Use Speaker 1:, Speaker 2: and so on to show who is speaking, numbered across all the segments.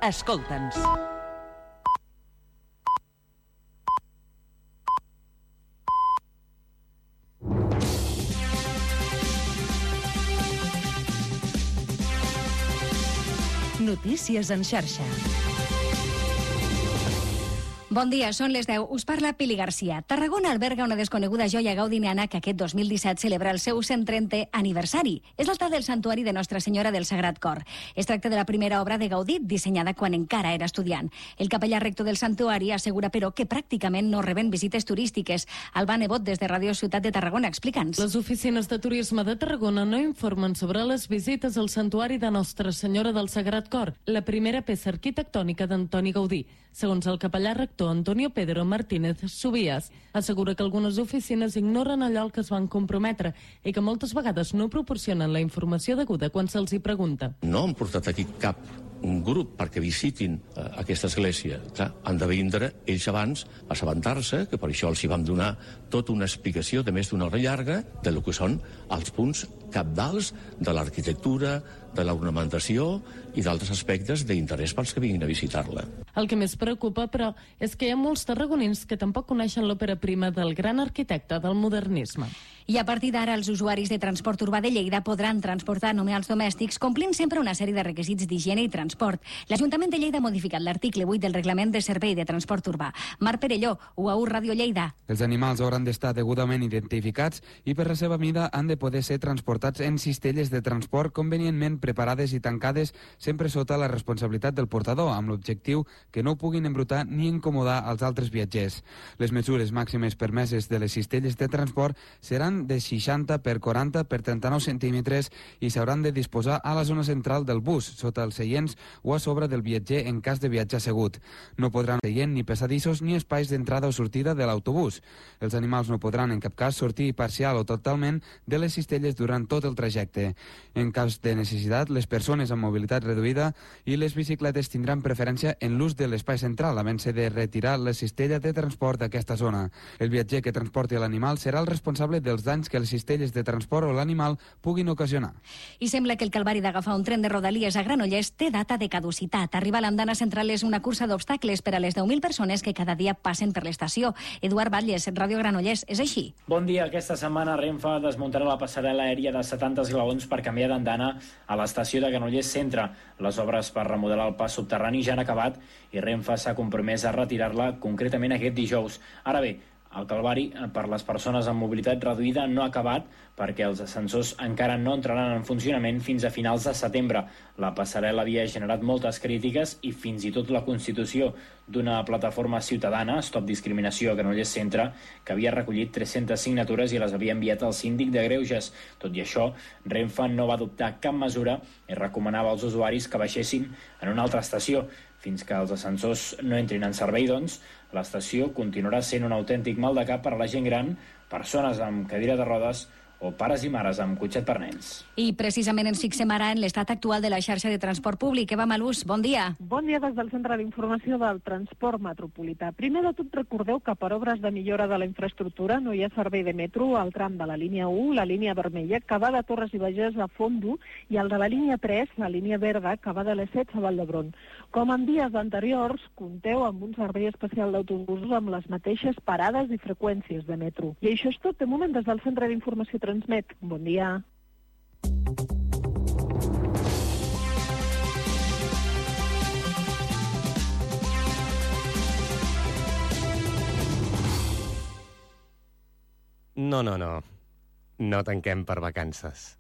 Speaker 1: Escolta'ns. Notícies en xarxa.
Speaker 2: Bon dia, són les 10. Us parla Pili Garcia. Tarragona alberga una desconeguda joia gaudiniana que aquest 2017 celebra el seu 130è aniversari. És l'altar del santuari de Nostra Senyora del Sagrat Cor. Es tracta de la primera obra de Gaudí dissenyada quan encara era estudiant. El capellà rector del santuari assegura, però, que pràcticament no reben visites turístiques. Alba Nebot, des de Ràdio Ciutat de Tarragona, explica'ns.
Speaker 3: Les oficines de turisme de Tarragona no informen sobre les visites al santuari de Nostra Senyora del Sagrat Cor, la primera peça arquitectònica d'Antoni Gaudí. Segons el capellà rector Antonio Pedro Martínez Subías, assegura que algunes oficines ignoren allò al que es van comprometre i que moltes vegades no proporcionen la informació deguda quan se'ls hi pregunta.
Speaker 4: No han portat aquí cap un grup perquè visitin aquesta església. Clar, han de vindre ells abans, assabentar-se, que per això els hi vam donar tota una explicació de més d'una hora llarga de lo que són els punts cabdals de l'arquitectura, de l'ornamentació i d'altres aspectes d'interès pels que vinguin a visitar-la.
Speaker 3: El que més preocupa, però, és que hi ha molts tarragonins que tampoc coneixen l'òpera prima del gran arquitecte del modernisme.
Speaker 2: I a partir d'ara, els usuaris de transport urbà de Lleida podran transportar només els domèstics complint sempre una sèrie de requisits d'higiene i transport. L'Ajuntament de Lleida ha modificat l'article 8 del Reglament de Servei de Transport Urbà. Marc Perelló, UAU Ràdio Lleida.
Speaker 5: Els animals hauran d'estar degudament identificats i per la seva mida han de poder ser transportats en cistelles de transport convenientment preparades i tancades sempre sota la responsabilitat del portador, amb l'objectiu que no puguin embrutar ni incomodar els altres viatgers. Les mesures màximes permeses de les cistelles de transport seran de 60 per 40 per 39 centímetres i s'hauran de disposar a la zona central del bus, sota els seients o a sobre del viatger en cas de viatge assegut. No podran seient ni passadissos ni espais d'entrada o sortida de l'autobús. Els animals no podran en cap cas sortir parcial o totalment de les cistelles durant tot el trajecte. En cas de necessitat, les persones amb mobilitat reduïda i les bicicletes tindran preferència en l'ús de l'espai central, havent-se de retirar la cistella de transport d'aquesta zona. El viatger que transporti l'animal serà el responsable dels danys que les cistelles de transport o l'animal puguin ocasionar.
Speaker 2: I sembla que el calvari d'agafar un tren de Rodalies a Granollers té data de caducitat. Arribar a l'andana central és una cursa d'obstacles per a les 10.000 persones que cada dia passen per l'estació. Eduard Batlles, Ràdio Granollers, és així?
Speaker 6: Bon dia. Aquesta setmana Renfe desmuntarà la passarel·la aèria de 70 esglaons per canviar d'andana a l'estació de Granollers Centre. Les obres per remodelar el pas subterrani ja han acabat i Renfe s'ha compromès a retirar-la concretament aquest dijous. Ara bé, el calvari per les persones amb mobilitat reduïda no ha acabat perquè els ascensors encara no entraran en funcionament fins a finals de setembre. La passarel·la havia generat moltes crítiques i fins i tot la constitució d'una plataforma ciutadana, Stop Discriminació a Granollers Centre, que havia recollit 300 signatures i les havia enviat al síndic de Greuges. Tot i això, Renfe no va adoptar cap mesura i recomanava als usuaris que baixessin en una altra estació. Fins que els ascensors no entrin en servei, doncs, l'estació continuarà sent un autèntic mal de cap per a la gent gran, persones amb cadira de rodes o pares i mares amb cotxet per nens.
Speaker 2: I precisament ens fixem ara en l'estat actual de la xarxa de transport públic. Eva Malús, bon dia.
Speaker 7: Bon dia des del Centre d'Informació del Transport Metropolità. Primer de tot recordeu que per obres de millora de la infraestructura no hi ha servei de metro al tram de la línia 1, la línia vermella, que va de Torres i Bages a Fondo, i el de la línia 3, la línia verda, que va de les 7 a Vall d'Hebron. Com en dies anteriors, compteu amb un servei especial d'autobusos amb les mateixes parades i freqüències de metro. I això és tot. De moment, des del Centre d'Informació Transmet. Bon dia.
Speaker 8: No. No tanquem per vacances.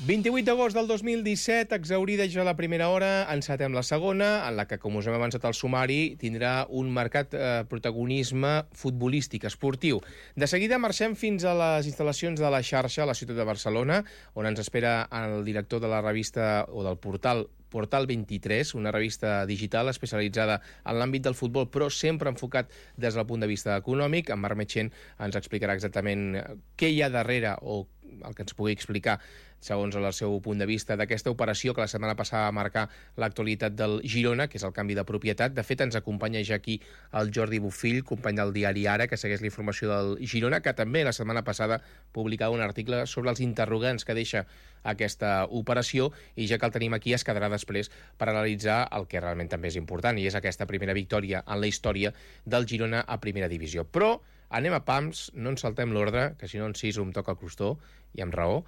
Speaker 8: 28 d'agost del 2017, exhaurida ja la primera hora, encetem la segona, en la que, com us hem avançat al sumari, tindrà un marcat protagonisme futbolístic, esportiu. De seguida marxem fins a les instal·lacions de la xarxa a la ciutat de Barcelona, on ens espera el director de la revista o del Portal 23, una revista digital especialitzada en l'àmbit del futbol, però sempre enfocat des del punt de vista econòmic. En Marc Metxent ens explicarà exactament què hi ha darrere o el que ens pugui explicar, segons el seu punt de vista, d'aquesta operació que la setmana passada va marcar l'actualitat del Girona, que és el canvi de propietat. De fet, ens acompanya ja aquí el Jordi Bofill, company del diari Ara, que segueix la informació del Girona, que també la setmana passada publicava un article sobre els interrogants que deixa aquesta operació, i ja que el tenim aquí es quedarà després per analitzar el que realment també és important, i és aquesta primera victòria en la història del Girona a primera divisió. Però anem a pams, no ens saltem l'ordre, que si no en Siso em toca el crostó, i amb raó.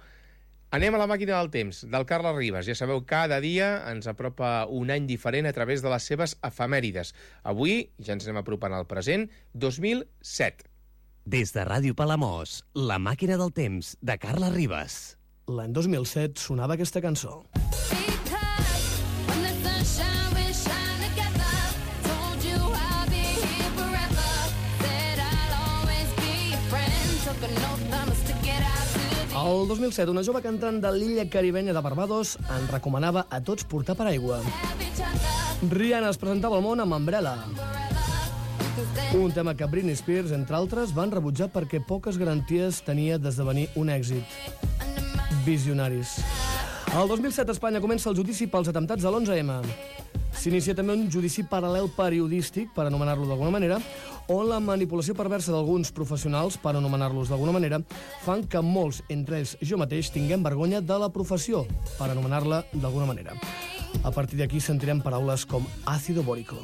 Speaker 8: Anem a la màquina del temps, del Carles Ribas. Ja sabeu, cada dia ens apropa un any diferent a través de les seves efemèrides. Avui ja ens anem apropant al present, 2007.
Speaker 9: Des de Ràdio Palamós, la màquina del temps, de Carles Ribas.
Speaker 10: L'any 2007 sonava aquesta cançó. El 2007, una jove cantant de l'illa caribenya de Barbados en recomanava a tots portar paraigua. Rihanna es presentava al món amb Umbrella, un tema que Britney Spears, entre altres, van rebutjar perquè poques garanties tenia d'esdevenir un èxit. Visionaris. El 2007 a Espanya comença el judici pels atemptats de l'11M. S'inicia també un judici paral·lel periodístic, per anomenar-lo d'alguna manera, on la manipulació perversa d'alguns professionals, per anomenar-los d'alguna manera, fan que molts, entre ells jo mateix, tinguem vergonya de la professió, per anomenar-la d'alguna manera. A partir d'aquí sentirem paraules com àcido bórico.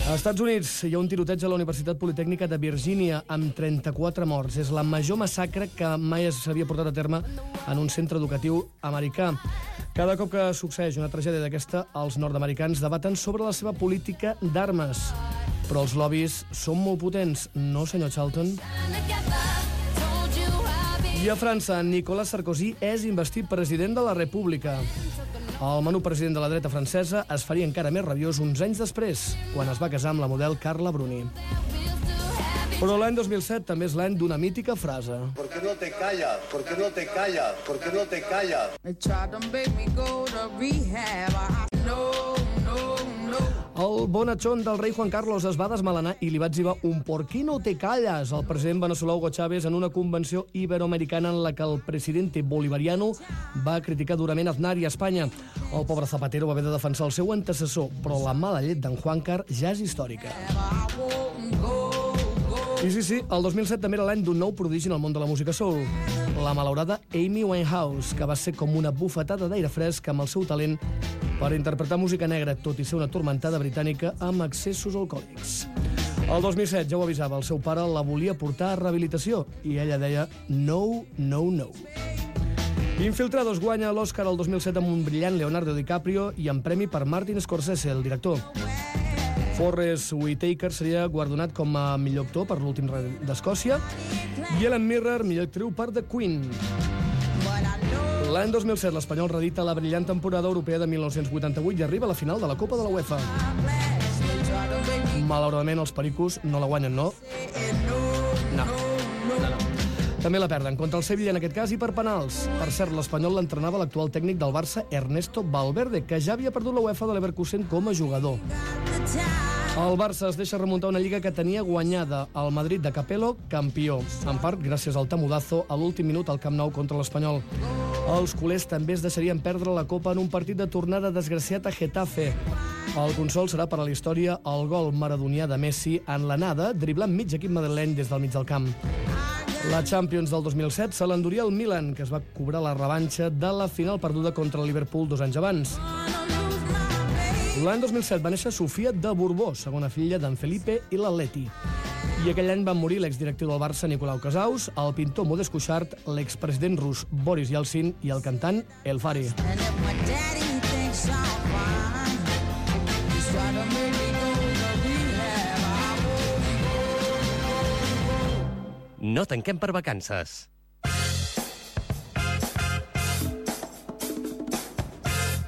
Speaker 10: Als Estats Units hi ha un tiroteig a la Universitat Politècnica de Virgínia amb 34 morts. És la major massacre que mai s'havia portat a terme en un centre educatiu americà. Cada cop que succeeix una tragèdia d'aquesta, els nord-americans debaten sobre la seva política d'armes. Però els lobbies són molt potents, no, senyor Charlton? I a França, Nicolas Sarkozy és investit president de la República. El menú president de la dreta francesa es faria encara més rabiós uns anys després, quan es va casar amb la model Carla Bruni. Però l'any 2007 també és l'any d'una mítica frase.
Speaker 11: ¿Por qué no te callas? ¿Por qué no te callas? ¿Por qué no te callas?
Speaker 10: El bonachón del rei Juan Carlos es va desmelenar i li va etzibar un «¿Por qué no te callas?» al president venezolà Hugo Chávez en una convenció iberoamericana en la que el presidente bolivariano va criticar durament Aznar i Espanya. El pobre Zapatero va haver de defensar el seu antecessor, però la mala llet d'en Juancar ja és històrica. I sí, el 2007 també era l'any d'un nou prodigi en el món de la música soul, la malaurada Amy Winehouse, que va ser com una bufetada d'aire fresc amb el seu talent per interpretar música negra, tot i ser una turmentada britànica amb excessos alcohòlics. El 2007, ja ho avisava, el seu pare la volia portar a rehabilitació i ella deia no, no, no. Infiltrados guanya l'Oscar el 2007 amb un brillant Leonardo DiCaprio i amb premi per Martin Scorsese, el director. Forrest Whitaker seria guardonat com a millor actor per l'últim rei d'Escòcia i Ellen Mirren, millor actriu per The Queen. L'any 2007 l'Espanyol reedita la brillant temporada europea de 1988 i arriba a la final de la Copa de la UEFA. Malauradament els pericos no la guanyen, no? No. També la perden contra el Sevilla en aquest cas i per penals. Per cert, l'Espanyol l'entrenava l'actual tècnic del Barça, Ernesto Valverde, que ja havia perdut la UEFA de l'Leverkusen com a jugador. El Barça es deixa remuntar una lliga que tenia guanyada. El Madrid de Capello, campió. En part, gràcies al tamudazo a l'últim minut al Camp Nou contra l'Espanyol. Els culers també es deixarien perdre la Copa en un partit de tornada desgraciat a Getafe. El consol serà per a la història el gol maradonià de Messi en l'anada, driblant mig equip madrileny des del mig del camp. La Champions del 2007 se l'enduria el Milan, que es va cobrar la revanxa de la final perduda contra el Liverpool 2 anys abans. L'any 2007 va néixer Sofia de Borbó, segona filla d'en Felipe i l'Atleti. I aquell any van morir l'exdirectiu del Barça, Nicolau Casaus, el pintor Modest Cuixart, l'expresident rus Boris Yeltsin i el cantant El Fari.
Speaker 9: No tanquem per vacances.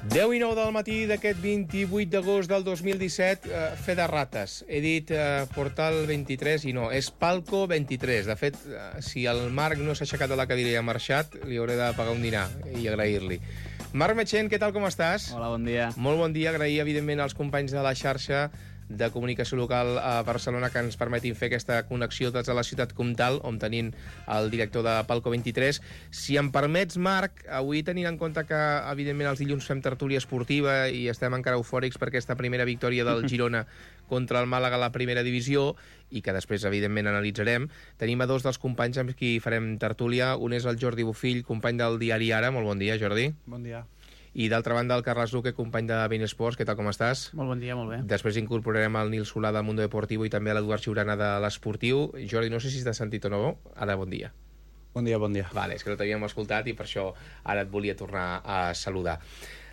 Speaker 8: Deu i 9 del matí d'aquest 28 d'agost del 2017, fe de rates. He dit Portal 23 i no, és Palco 23. De fet, si el Marc no s'ha aixecat de la cadira i ha marxat, li hauré de pagar un dinar i agrair-li. Marc Metxent, què tal, com estàs?
Speaker 12: Hola, bon dia.
Speaker 8: Molt bon dia, agrair, evidentment, als companys de la xarxa de comunicació local a Barcelona que ens permetin fer aquesta connexió des de la ciutat comtal, on tenim el director de Palco 23. Si em permets, Marc, avui tenint en compte que, evidentment, els dilluns fem tertúlia esportiva i estem encara eufòrics per aquesta primera victòria del Girona contra el Màlaga a la primera divisió, i que després, evidentment, analitzarem. Tenim a dos dels companys amb qui farem tertúlia. Un és el Jordi Bofill, company del diari Ara. Molt bon dia, Jordi.
Speaker 12: Bon dia.
Speaker 8: I d'altra banda, el Carles Luque, company de Bein Sports. Què tal, com estàs?
Speaker 12: Molt bon dia, molt bé.
Speaker 8: Després incorporarem el Nil Solà del Mundo Deportivo i també l'Eduard Xiurana de l'Esportiu. Jordi, no sé si t'has sentit o no. Ara, bon dia.
Speaker 12: Bon dia, bon dia.
Speaker 8: Vale, és que no t'havíem escoltat i per això ara et volia tornar a saludar.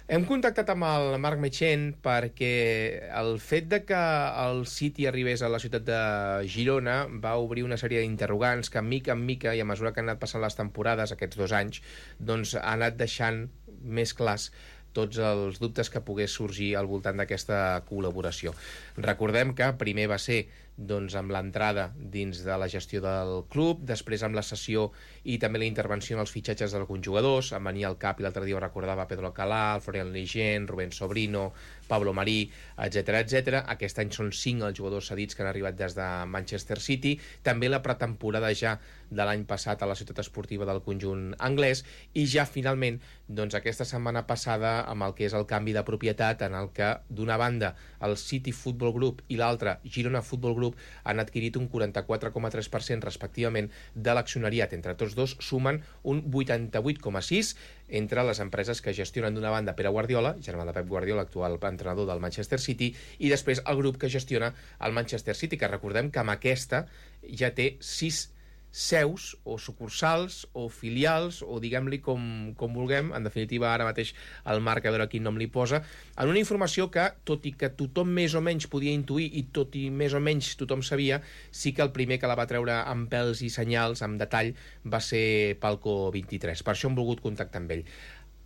Speaker 8: Hem contactat amb el Marc Metxent perquè el fet de que el City arribés a la ciutat de Girona va obrir una sèrie d'interrogants que, mica en mica, i a mesura que han anat passant les temporades aquests 2 anys, doncs ha anat deixant més clars tots els dubtes que pogués sorgir al voltant d'aquesta col·laboració. Recordem que primer va ser amb l'entrada dins de la gestió del club, després amb la cessió i també la intervenció en els fitxatges d'alguns jugadors. Em venia al cap, i l'altre dia ho recordava, Pedro Alcalá, Florian Lejeune, Rubén Sobrino, Pablo Marí, etc etc. Aquest any són 5 els jugadors cedits que han arribat des de Manchester City. També la pretemporada ja de l'any passat a la ciutat esportiva del conjunt anglès, i ja finalment aquesta setmana passada amb el que és el canvi de propietat, en el que d'una banda el City Football Group i l'altra Girona Football Group han adquirit un 44,3% respectivament de l'accionariat. Entre tots dos sumen un 88,6% entre les empreses que gestionen d'una banda Pere Guardiola, germà de Pep Guardiola, actual entrenador del Manchester City, i després el grup que gestiona el Manchester City, que recordem que amb aquesta ja té 6 seus o sucursals o filials, o diguem-li com vulguem. En definitiva, ara mateix el Marc, a veure quin nom li posa, en una informació que, tot i que tothom més o menys podia intuir i tot i més o menys tothom sabia, sí que el primer que la va treure amb pèls i senyals, amb detall, va ser Palco 23. Per això hem volgut contactar amb ell.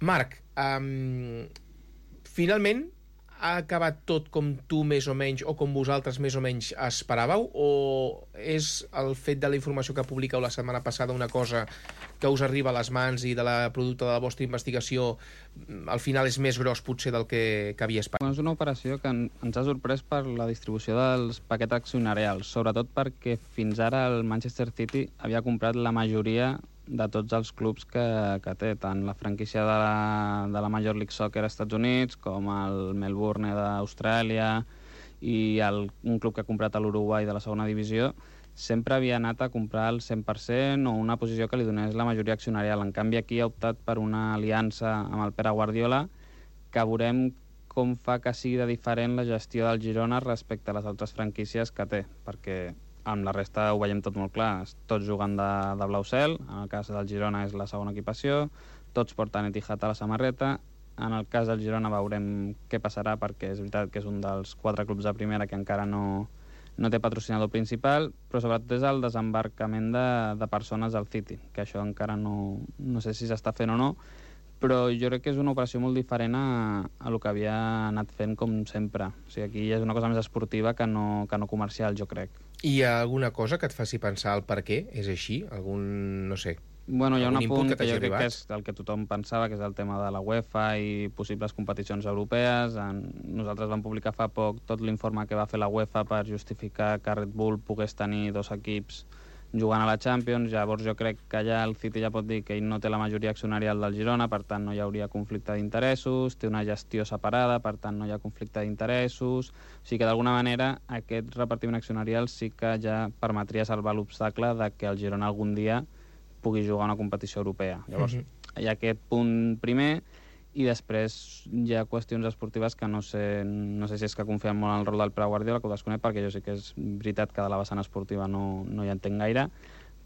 Speaker 8: Marc, finalment ha acabat tot com tu més o menys, o com vosaltres més o menys esperàveu, o és el fet de la informació que publiqueu la setmana passada una cosa que us arriba a les mans i de la producte de la vostra investigació al final és més gros potser del que havia esperat?
Speaker 13: És una operació que ens ha sorprès per la distribució dels paquets accionarials, sobretot perquè fins ara el Manchester City havia comprat la majoria de tots els clubs que té, tant la franquícia de la Major League Soccer als Estats Units, com el Melbourne d'Austràlia i un club que ha comprat a l'Uruguai de la segona divisió, sempre havia anat a comprar el 100% o una posició que li donés la majoria accionarial. En canvi, aquí ha optat per una aliança amb el Pere Guardiola, que veurem com fa que sigui de diferent la gestió del Girona respecte a les altres franquícies que té, perquè amb la resta ho veiem tot molt clar, tots jugant de blau cel, en el cas del Girona és la segona equipació, tots porten Etihad a la samarreta. En el cas del Girona veurem què passarà, perquè és veritat que és un dels 4 clubs de primera que encara no té patrocinador principal, però sobretot és el desembarcament de persones al City, que això encara no sé si s'està fent o no, però jo crec que és una operació molt diferent a lo que havia anat fent com sempre. O sigui, aquí és una cosa més esportiva que no comercial, jo crec.
Speaker 8: Hi ha alguna cosa que et faci pensar el per què és així? No sé...
Speaker 13: Bueno, hi ha un apunt que jo crec que és el que tothom pensava, que és el tema de la UEFA i possibles competicions europees. Nosaltres vam publicar fa poc tot l'informe que va fer la UEFA per justificar que Red Bull pogués tenir 2 equips jugant a la Champions. Llavors jo crec que allà el City ja pot dir que ell no té la majoria accionarial del Girona, per tant no hi hauria conflicte d'interessos, té una gestió separada, per tant no hi ha conflicte d'interessos. O sigui que d'alguna manera aquest repartiment accionarial sí que ja permetria salvar l'obstacle de que el Girona algun dia pugui jugar una competició europea. Llavors hi ha aquest punt primer, i després hi ha qüestions esportives que no sé si és que confiem molt en el rol del Pere Guardiola, que ho desconec, perquè jo sé que és veritat que de la vessant esportiva no hi entenc gaire,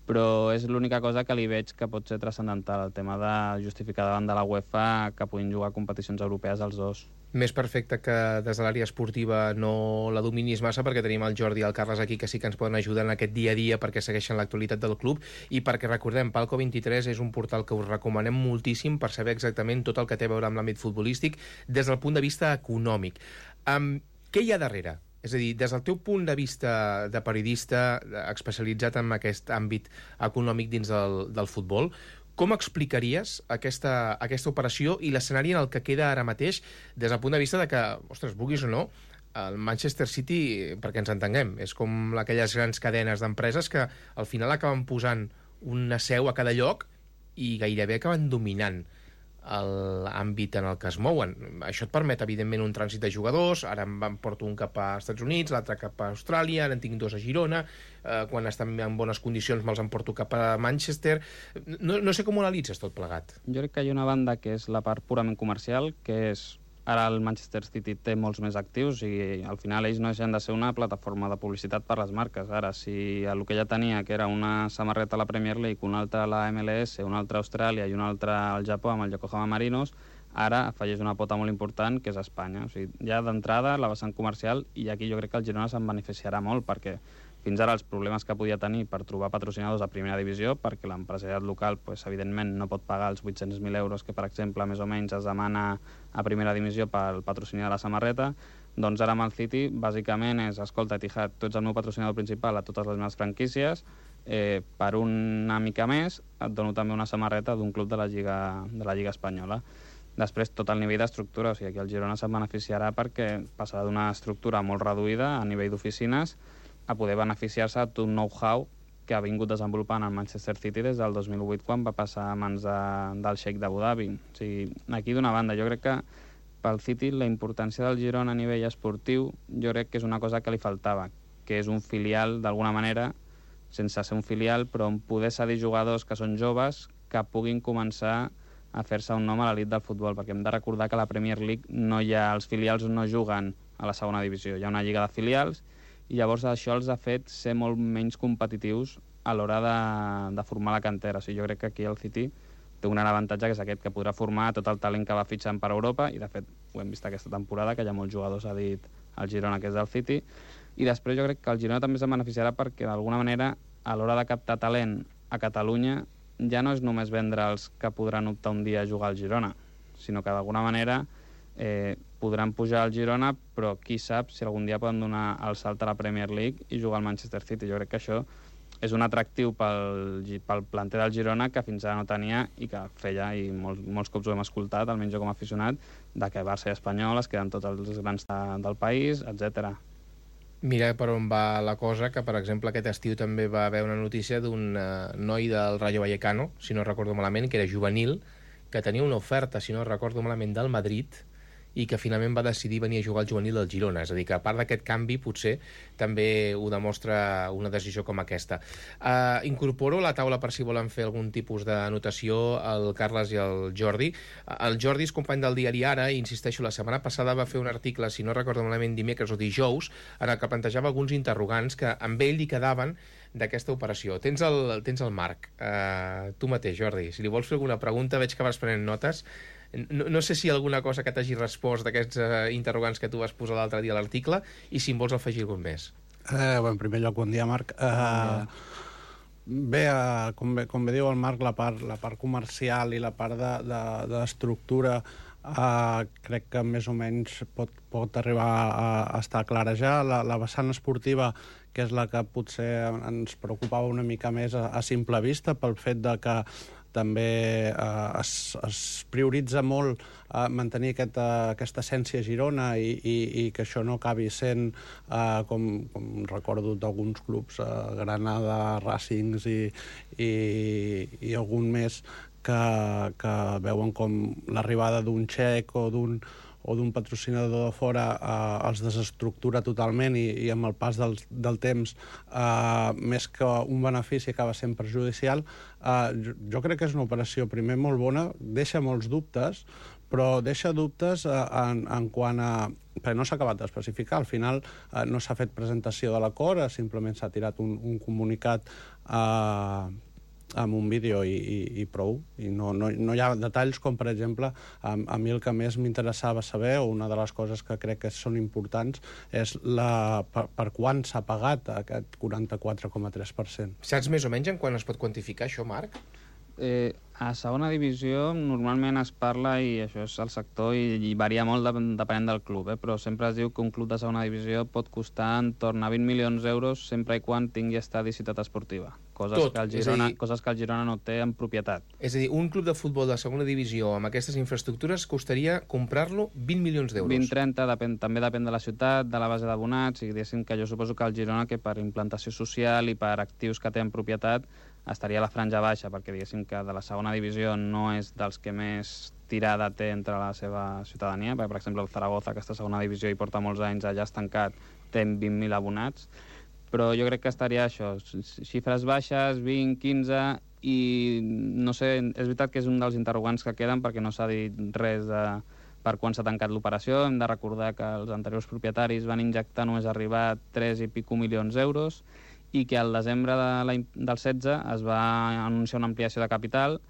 Speaker 13: però és l'única cosa que li veig que pot ser transcendental, el tema de justificar davant de la UEFA que puguin jugar competicions europees els dos.
Speaker 8: Més perfecte que des de l'àrea esportiva no la dominis massa, perquè tenim el Jordi i el Carles aquí que sí que ens poden ajudar en aquest dia a dia perquè segueixen l'actualitat del club, i perquè recordem, Palco 23 és un portal que us recomanem moltíssim per saber exactament tot el que té a veure amb l'àmbit futbolístic des del punt de vista econòmic. Què hi ha darrere? És a dir, des del teu punt de vista de periodista especialitzat en aquest àmbit econòmic dins del futbol, com explicaries aquesta operació i l'escenari en el que queda ara mateix des del punt de vista de que, ostres, vulguis o no, el Manchester City, perquè ens entenguem, és com aquelles grans cadenes d'empreses que al final acaben posant una seu a cada lloc i gairebé acaben dominant l'àmbit en el que es mouen. Això et permet, evidentment, un trànsit de jugadors. Ara em porto un cap a Estats Units, l'altre cap a Austràlia, ara en tinc 2 a Girona. Quan estan en bones condicions me'ls emporto cap a Manchester. No sé com ho analitzes tot plegat.
Speaker 13: Jo crec que hi ha una banda que és la part purament comercial, que és ara el Manchester City té molts més actius i al final ells no deixen de ser una plataforma de publicitat per les marques. Ara, si el que ja tenia, que era una samarreta a la Premier League, una altra a la MLS, una altra a Austràlia i una altra al Japó amb el Yokohama Marinos, ara afegeix una pota molt important, que és Espanya. O sigui, ja d'entrada la vessant comercial, i aquí jo crec que el Girona se'n beneficiarà molt, perquè fins ara els problemes que podia tenir per trobar patrocinadors a primera divisió, perquè l'empresariat local, evidentment, no pot pagar els 800.000 euros que, per exemple, més o menys es demana a primera divisió pel patrocini de la samarreta, doncs ara amb el City, bàsicament és, escolta, Etihad, tu ets el meu patrocinador principal a totes les meves franquícies, per una mica més et dono també una samarreta d'un club de la Lliga Espanyola. Després, tot el nivell d'estructura, o sigui, aquí el Girona se'n beneficiarà perquè passarà d'una estructura molt reduïda a nivell d'oficines a poder beneficiar-se d'un know-how que ha vingut desenvolupant el Manchester City des del 2008, quan va passar a mans del Sheikh d'Abu Dhabi. O sigui, aquí d'una banda, jo crec que pel City la importància del Girona a nivell esportiu jo crec que és una cosa que li faltava, que és un filial, d'alguna manera, sense ser un filial, però on poder cedir jugadors que són joves que puguin començar a fer-se un nom a l'elit del futbol, perquè hem de recordar que a la Premier League els filials no juguen a la segona divisió, hi ha una lliga de filials, i llavors això els ha fet ser molt menys competitius a l'hora de formar la cantera. O sigui, jo crec que aquí el City té un gran avantatge, que és aquest, que podrà formar tot el talent que va fitxant per Europa, i de fet ho hem vist aquesta temporada, que hi ha molts jugadors, ha dit el Girona, que és del City, i després jo crec que el Girona també se'n beneficiarà perquè d'alguna manera a l'hora de captar talent a Catalunya ja no és només vendre els que podran optar un dia a jugar al Girona, sinó que d'alguna manera podran pujar al Girona, però qui sap si algun dia poden donar el salt a la Premier League i jugar al Manchester City. Jo crec que això és un atractiu pel planter del Girona que fins ara no tenia i que feia, i molts cops ho hem escoltat, almenys jo com a aficionat, de que Barça i Espanyol es queden tots els grans del país, etc.
Speaker 8: Mira per on va la cosa, que per exemple aquest estiu també va haver una notícia d'un noi del Rayo Vallecano, si no recordo malament, que era juvenil, que tenia una oferta, si no recordo malament, del Madrid, i que finalment va decidir venir a jugar al juvenil del Girona. És a dir, que a part d'aquest canvi potser també ho demostra una decisió com aquesta. Incorporo a la taula per si volen fer algun tipus d'anotació el Carles i el Jordi. El Jordi és company del diari Ara i, insisteixo, la setmana passada va fer un article, si no recordo malament, dimecres o dijous, en el que plantejava alguns interrogants que amb ell li quedaven d'aquesta operació. Tens el Marc. Tu mateix, Jordi, si li vols fer alguna pregunta, veig que vas prenent notes. No sé si hi ha alguna cosa que t'hagi respost d'aquests interrogants que tu vas posar l'altre dia a l'article, i si em vols afegir algun més.
Speaker 12: En primer lloc, bon dia, Marc. Bé, com bé diu el Marc, la part comercial i la part d'estructura crec que més o menys pot arribar a estar clara ja. La vessant esportiva, que és la que potser ens preocupava una mica més a simple vista, pel fet de que també es prioritza molt mantenir aquesta essència a Girona i que això no acabi sent, com recordo d'alguns clubs, Granada, Racings i algun més, que veuen com l'arribada d'un xec o d'un patrocinador de fora els desestructura totalment i amb el pas del temps, més que un benefici, acaba sent perjudicial. Jo crec que és una operació, primer, molt bona, deixa molts dubtes, però deixa dubtes en quant a... perquè no s'ha acabat d'especificar. Al final no s'ha fet presentació de l'acord, simplement s'ha tirat un comunicat amb un vídeo i prou, i no hi ha detalls com, per exemple, a mi el que més m'interessava saber, o una de les coses que crec que són importants, és per quan s'ha pagat aquest 44,3%.
Speaker 8: Saps més o menys en quan es pot quantificar això, Marc?
Speaker 13: A segona divisió normalment es parla, i això és el sector, i varia molt depenent del club, però sempre es diu que un club de segona divisió pot costar entorn a 20 milions d'euros sempre i quan tingui estadi i ciutat esportiva, coses que el Girona no té en propietat.
Speaker 8: És a dir, un club de futbol de segona divisió amb aquestes infraestructures costaria comprar-lo 20 milions d'euros.
Speaker 13: 20-30, també depèn de la ciutat, de la base d'abonats, i diguéssim que jo suposo que el Girona, que per implantació social i per actius que té en propietat, estaria a la franja baixa, perquè diguéssim que de la segona divisió no és dels que més tirada té entre la seva ciutadania, perquè, per exemple, el Zaragoza, aquesta segona divisió, hi porta molts anys allà estancat, té 20.000 abonats, però jo crec que estaria això, xifres baixes, 20, 15, i no sé, és veritat que és un dels interrogants que queden perquè no s'ha dit res per quan s'ha tancat l'operació. Hem de recordar que els anteriors propietaris van injectar només arribar a 3 i pico milions d'euros i que al desembre del 16 es va anunciar una ampliació de capital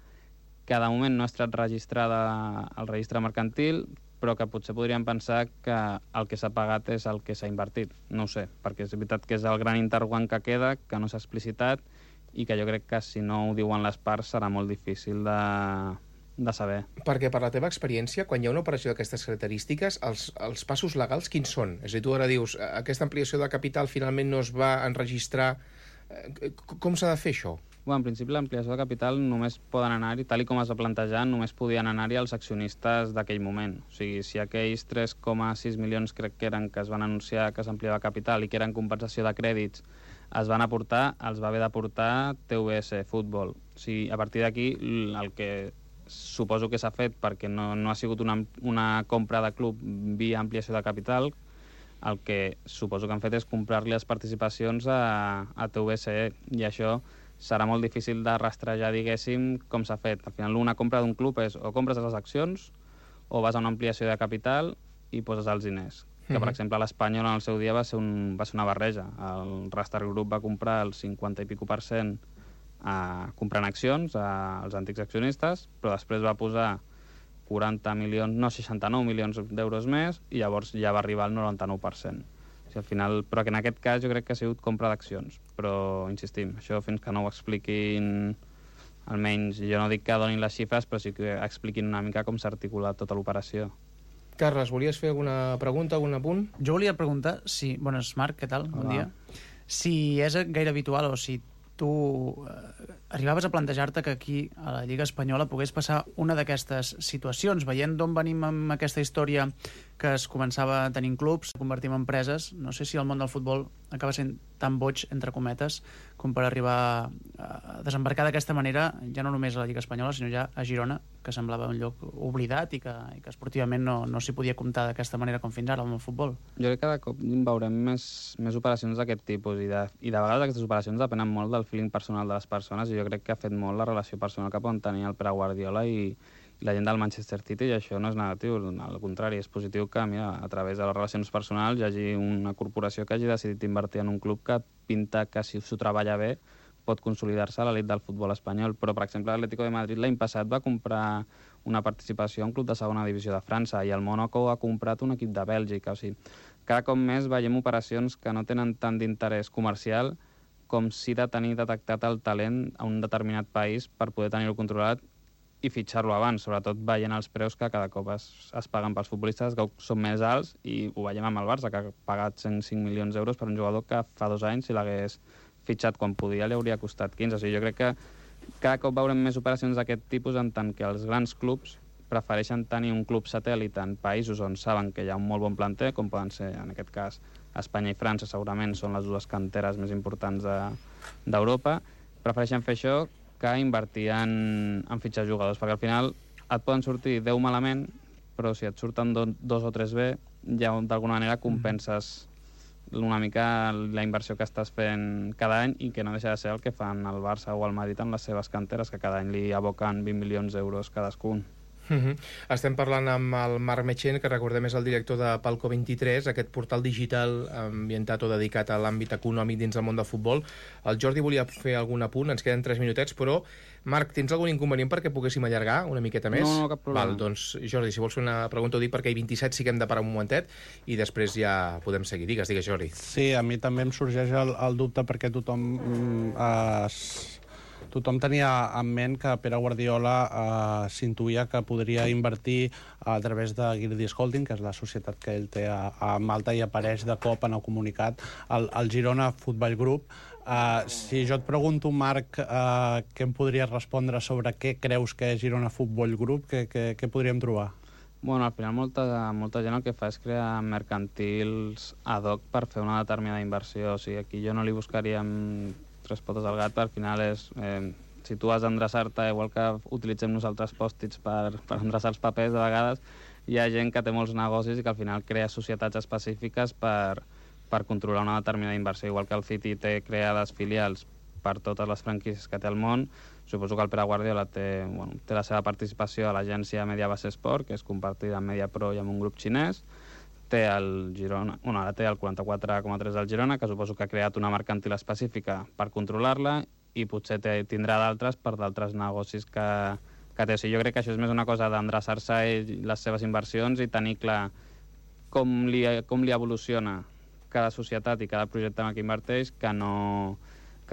Speaker 13: que de moment no ha estat registrada al registre mercantil, però que potser podríem pensar que el que s'ha pagat és el que s'ha invertit. No ho sé, perquè és veritat que és el gran interrogant que queda, que no s'ha explicitat, i que jo crec que si no ho diuen les parts serà molt difícil de saber.
Speaker 8: Perquè per la teva experiència, quan hi ha una operació d'aquestes característiques, els passos legals quins són? És a dir, tu ara dius, aquesta ampliació de capital finalment no es va enregistrar. Com s'ha de fer això?
Speaker 13: Bueno, en principi l'ampliació de capital només poden anar-hi, tal com es va plantejar, només podien anar-hi els accionistes d'aquell moment. O sigui, si aquells 3,6 milions crec que eren que es van anunciar que s'ampliava capital i que eren compensació de crèdits, es van aportar, els va haver d'aportar TVS Futbol. O sigui, a partir d'aquí, el que suposo que s'ha fet, perquè no ha sigut una compra de club via ampliació de capital, el que suposo que han fet és comprar-li les participacions a TVS, i això serà molt difícil de rastrejar, diguéssim, com s'ha fet. Al final, una compra d'un club és o compres les accions o vas a una ampliació de capital i poses els diners. Que, per exemple, l'Espanyol en el seu dia va ser una barreja. El Rastar Group va comprar el 50 i pico % comprant accions als antics accionistes, però després va posar 69 milions d'euros més i llavors ja va arribar al 99%. Al final, però que en aquest cas jo crec que ha sigut compra d'accions, però insistim, això fins que no ho expliquin, almenys jo no dic que donin les xifres, però sí que expliquin una mica com s'ha articulat tota l'operació.
Speaker 8: Carles, volies fer alguna pregunta, algun apunt?
Speaker 14: Jo volia preguntar si... Bones, Marc, què tal? Bon dia. Si és gaire habitual o si tu arribaves a plantejar-te que aquí a la Lliga Espanyola pogués passar una d'aquestes situacions, veient d'on venim amb aquesta història que es començava tenint clubs, convertim en empreses. No sé si el món del futbol acaba sent tan boig, entre cometes, com per arribar a desembarcar d'aquesta manera, ja no només a la Lliga Espanyola, sinó ja a Girona, que semblava un lloc oblidat i que esportivament no s'hi podia comptar d'aquesta manera com fins ara amb el futbol.
Speaker 13: Jo crec que cada cop veurem més operacions d'aquest tipus i de vegades aquestes operacions depenen molt del feeling personal de les persones, i jo crec que ha fet molt la relació personal que poden tenir el Pere Guardiola i la gent del Manchester City, i això no és negatiu, al contrari, és positiu que a través de les relacions personals hi hagi una corporació que hagi decidit invertir en un club que pinta que, si s'ho treballa bé, pot consolidar-se a l'elit del futbol espanyol. Però, per exemple, l'Atlético de Madrid l'any passat va comprar una participació en un club de segona divisió de França, i el Mónaco ha comprat un equip de Bèlgica. O sigui, cada cop més veiem operacions que no tenen tant d'interès comercial com si de tenir detectat el talent a un determinat país per poder tenir-ho controlat i fitxar-lo abans, sobretot veient els preus que cada cop es paguen pels futbolistes, que són més alts, i ho veiem amb el Barça, que ha pagat 105 milions d'euros per un jugador que fa 2 anys, si l'hagués fitxat quan podia, li hauria costat 15. O sigui, jo crec que cada cop veurem més operacions d'aquest tipus, en tant que els grans clubs prefereixen tenir un club satèl·lit en països on saben que hi ha un molt bon planter, com poden ser, en aquest cas, Espanya i França, segurament són les dues canteres més importants d'Europa. Prefereixen fer això que invertir en fitxar jugadors, perquè al final et poden sortir 10 malament, però si et surten 2 o 3 bé, ja d'alguna manera compenses una mica la inversió que estàs fent cada any, i que no deixa de ser el que fan el Barça o el Madrid amb les seves canteres, que cada any li aboquen 20 milions d'euros cadascun.
Speaker 8: Estem parlant amb el Marc Metxent, que recordem és el director de Palco 23, aquest portal digital ambientat o dedicat a l'àmbit econòmic dins del món del futbol. El Jordi volia fer algun apunt, ens queden 3 minutets, però Marc, tens algun inconvenient perquè poguéssim allargar una miqueta més?
Speaker 13: No, cap problema.
Speaker 8: Val, doncs Jordi, si vols fer una pregunta ho dic, perquè 27 sí que hem de parar un momentet i després ja podem seguir. Digues, Jordi.
Speaker 12: Sí, a mi també em sorgeix el dubte, perquè tothom tenia en ment que Pere Guardiola s'intuïa que podria invertir a través de Girdis Holding, que és la societat que ell té a Malta, i apareix de cop en el comunicat el Girona Futbol Group. Si jo et pregunto, Marc, què em podries respondre sobre què creus que és Girona Futbol Group, què podríem trobar?
Speaker 13: Bueno, al final molta gent el que fa és crear mercantils ad hoc per fer una determinada inversió. O sigui, aquí jo no li buscaria tres potes al gat, perquè al final és... si tu has d'endreçar-te, igual que utilitzem nosaltres pòstits per endreçar els papers, de vegades hi ha gent que té molts negocis i que al final crea societats específiques per controlar una determinada inversió. Igual que el City té creades filials per totes les franquícies que té al món, suposo que el Pere Guardiola té la seva participació a l'agència Mediabase Sport, que és compartida amb Mediapro i amb un grup xinès. Té el Girona, ara té el 44,3 del Girona, que suposo que ha creat una mercantil específica per controlar-la, i potser tindrà d'altres per d'altres negocis que té. O sigui, jo crec que això és més una cosa d'endreçar-se les seves inversions i tenir clar com li evoluciona cada societat i cada projecte en què inverteix, que no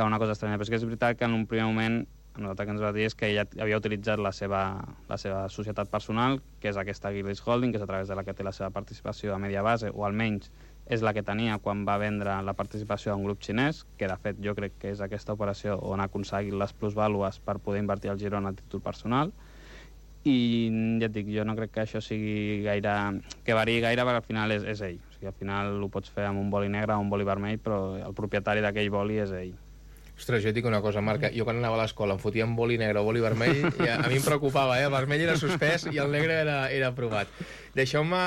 Speaker 13: una cosa estranya. Però és que és veritat que en un primer moment nosaltres que ens va dir és que ella havia utilitzat la seva societat personal, que és aquesta Gillis Holding, que és a través de la que té la seva participació a Mediabase, o almenys és la que tenia quan va vendre la participació a un grup xinès, que de fet jo crec que és aquesta operació on ha aconseguit les plusvàlues per poder invertir al Girona a títol personal. I ja et dic, jo no crec que això sigui gaire... que variï gaire, perquè al final és ell. O sigui, al final ho pots fer amb un boli negre o un boli vermell, però el propietari d'aquell boli és ell.
Speaker 8: Ostres, jo et dic una cosa, Marc, jo quan anava a l'escola em fotia en boli negre o boli vermell, i a mi em preocupava, el vermell era suspès i el negre era aprovat. Deixeu-me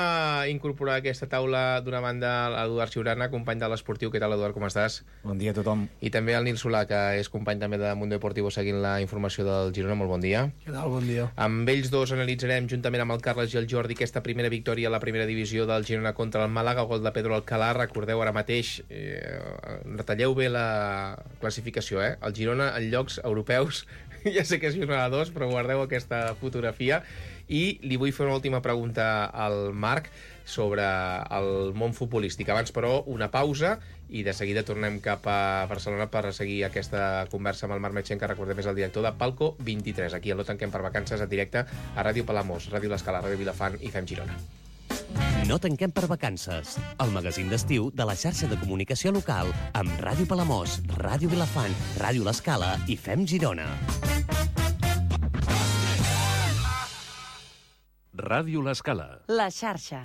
Speaker 8: incorporar a aquesta taula d'una banda l'Eduard Ciurana, company de l'Esportiu. Què tal, Eduard, com estàs?
Speaker 15: Bon dia a tothom.
Speaker 8: I també el Nil Solà, que és company també de Mundo Deportivo seguint la informació del Girona. Molt bon dia.
Speaker 10: Què tal? Bon dia.
Speaker 8: Amb ells dos analitzarem, juntament amb el Carles i el Jordi, aquesta primera victòria a la primera divisió del Girona contra el Màlaga, gol de Pedro Alcalá. Recordeu ara mateix, retalleu bé la classificació, el Girona en llocs europeus, ja sé que és jornada 2, però guardeu aquesta fotografia. I li vull fer una última pregunta al Marc sobre el món futbolístic. Abans, però, una pausa i de seguida tornem cap a Barcelona per seguir aquesta conversa amb el Marc Metxen, que recordem és el director de Palco 23. Aquí No tanquem per vacances, en directe a Ràdio Palamós, Ràdio L'Escala, Ràdio Vilafant i Fem Girona.
Speaker 9: No tanquem per vacances. El magazín d'estiu de la xarxa de comunicació local amb Ràdio Palamós, Ràdio Vilafant, Ràdio L'Escala i Fem Girona.
Speaker 16: Ràdio L'Escala.
Speaker 1: La xarxa.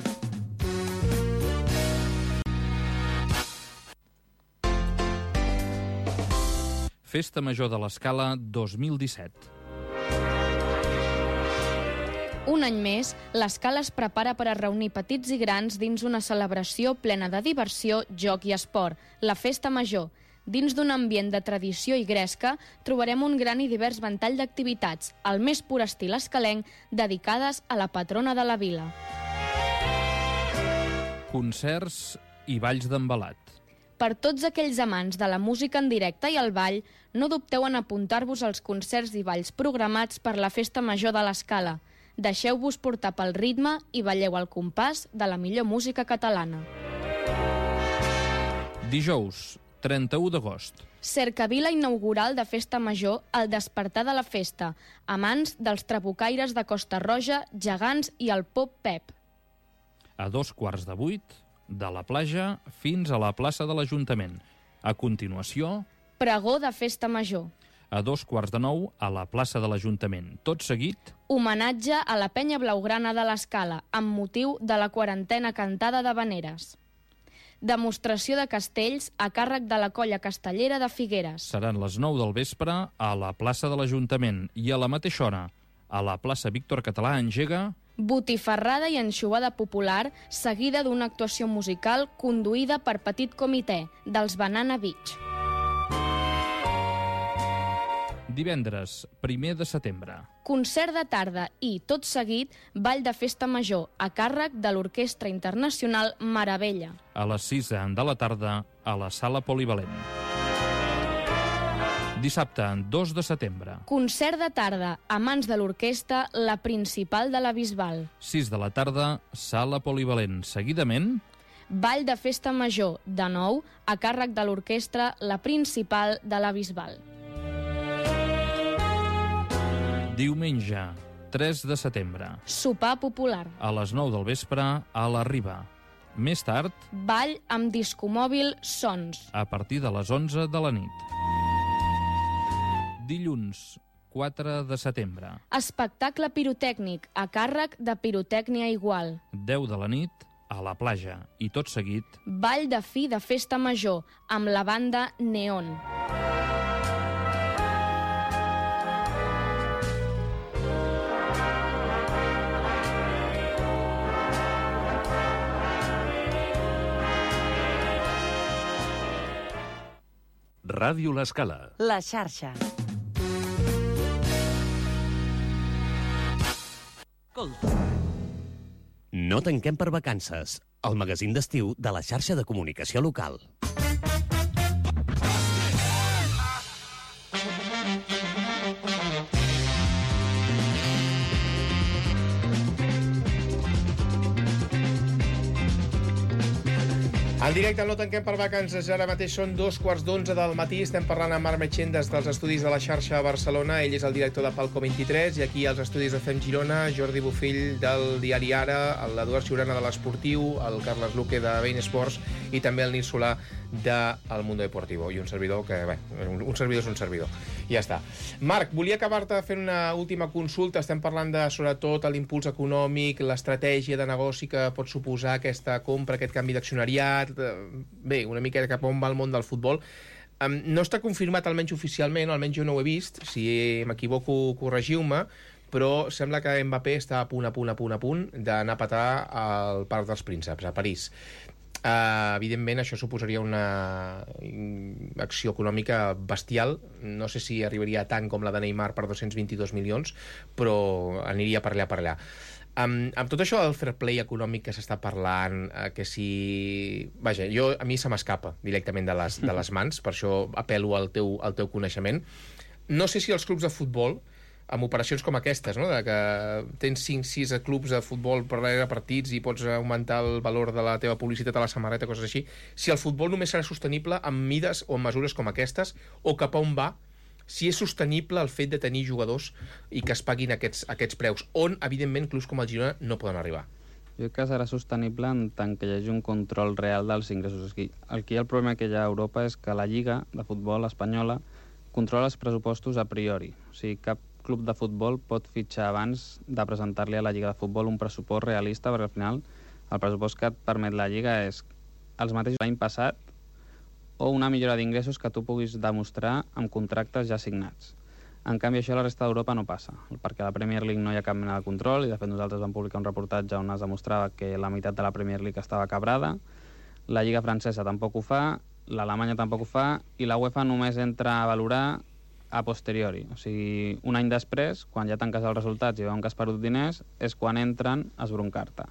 Speaker 16: Festa Major de l'Escala 2017.
Speaker 17: Un any més, l'Escala es prepara per a reunir petits i grans dins una celebració plena de diversió, joc i esport, la Festa Major. Dins d'un ambient de tradició i gresca, trobarem un gran i divers ventall d'activitats, al més pur estil escalenc, dedicades a la patrona de la vila.
Speaker 16: Concerts i balls d'embalat.
Speaker 17: Per tots aquells amants de la música en directe i el ball, no dubteu en apuntar-vos als concerts i balls programats per la Festa Major de l'Escala. Deixeu-vos portar pel ritme i balleu al compàs de la millor música catalana.
Speaker 16: Dijous, 31 d'agost.
Speaker 17: Cercavila inaugural de Festa Major al despertar de la festa, a mans dels trabucaires de Costa Roja, Gegants i el Pop Pep.
Speaker 16: A 7:45, de la platja fins a la plaça de l'Ajuntament. A continuació,
Speaker 17: pregó de Festa Major.
Speaker 16: A 8:45, a la plaça de l'Ajuntament. Tot seguit,
Speaker 17: homenatge a la penya blaugrana de l'Escala, amb motiu de la quarantena cantada d'havaneres. Demostració de castells a càrrec de la colla castellera de Figueres.
Speaker 16: Seran les 9 del vespre a la plaça de l'Ajuntament i a la mateixa hora, a la plaça Víctor Català engega
Speaker 17: botifarrada i anxovada popular, seguida d'una actuació musical conduïda per petit comitè dels Banana Beach.
Speaker 16: Divendres, 1 de setembre.
Speaker 17: Concert de tarda i, tot seguit, ball de Festa Major a càrrec de l'Orquestra Internacional Meravella.
Speaker 16: A les 6 de la tarda, a la Sala Polivalent. Dissabte, 2 de setembre.
Speaker 17: Concert de tarda a mans de l'orquestra La Principal de la Bisbal.
Speaker 16: 6 de la tarda, Sala Polivalent. Seguidament,
Speaker 17: ball de Festa Major, de nou, a càrrec de l'orquestra La Principal de la Bisbal.
Speaker 16: Diumenge, 3 de setembre.
Speaker 17: Sopar popular.
Speaker 16: A les 9 del vespre, a la Riba. Més tard,
Speaker 17: ball amb discomòbil Sons.
Speaker 16: a partir de les 11 de la nit. Dilluns, 4 de setembre.
Speaker 17: Espectacle pirotècnic a càrrec de Pirotècnia Igual.
Speaker 16: 10 de la nit, a la platja. I tot seguit,
Speaker 17: Ball de fi de festa major amb la banda Neon.
Speaker 15: Ràdio L'Escala.
Speaker 1: La xarxa.
Speaker 9: No tanquem per vacances. El magazín d'estiu de la xarxa de comunicació local.
Speaker 8: En directe no tanquem per vacances, ara mateix són 2:15 del matí, estem parlant amb Marc Metxent des dels estudis de la xarxa a Barcelona, ell és el director de Palco 23, i aquí als estudis de FEM Girona, Jordi Bofill del diari Ara, l'Eduard Ciurana de l'Esportiu, el Carles Luque de Bein Sports i també el Nil Solà del Mundo Deportivo, i un servidor que, bé, un servidor és un servidor. Ja està. Marc, volia acabar-te fent una última consulta, estem parlant de, sobretot, l'impuls econòmic, l'estratègia de negoci que pot suposar aquesta compra, aquest canvi d'accionariat, bé, una mica cap on va el món del futbol. No està confirmat, almenys oficialment, almenys jo no ho he vist, si m'equivoco corregiu-me, però sembla que Mbappé està a punt d'anar a petar al Parc dels Prínceps, a París. Evidentment, això suposaria una acció econòmica bestial. No sé si arribaria tant com la de Neymar per 222 milions, però aniria per allà. Amb tot això del fair play econòmic que s'està parlant, que si... Vaja, a mi se m'escapa directament de les mans, per això apel·lo al teu coneixement. No sé si els clubs de futbol, amb operacions com aquestes, no? De que tens 5-6 clubs de futbol per darrere partits i pots augmentar el valor de la teva publicitat a la samarreta, coses així, si el futbol només serà sostenible amb mides o amb mesures com aquestes, o cap a on va, si és sostenible el fet de tenir jugadors i que es paguin aquests preus, on, evidentment, clubs com el Girona no poden arribar.
Speaker 13: Jo crec que serà sostenible en tant que hi hagi un control real dels ingressos. Aquí el problema que hi ha a Europa és que la Lliga de Futbol espanyola controla els pressupostos a priori. O sigui, cap club de futbol pot fitxar abans de presentar-li a la Lliga de Futbol un pressupost realista, perquè al final el pressupost que et permet la Lliga és els mateixos l'any passat o una millora d'ingressos que tu puguis demostrar amb contractes ja signats. En canvi, això a la resta d'Europa no passa, perquè a la Premier League no hi ha cap mena de control, i de fet nosaltres vam publicar un reportatge on es demostrava que la meitat de la Premier League estava cabrada, la Lliga francesa tampoc ho fa, l'Alemanya tampoc ho fa, i la UEFA només entra a valorar a posteriori. O sigui, un any després, quan ja tanques els resultats i veuen que has perdut diners, és quan entren a esbroncar-te.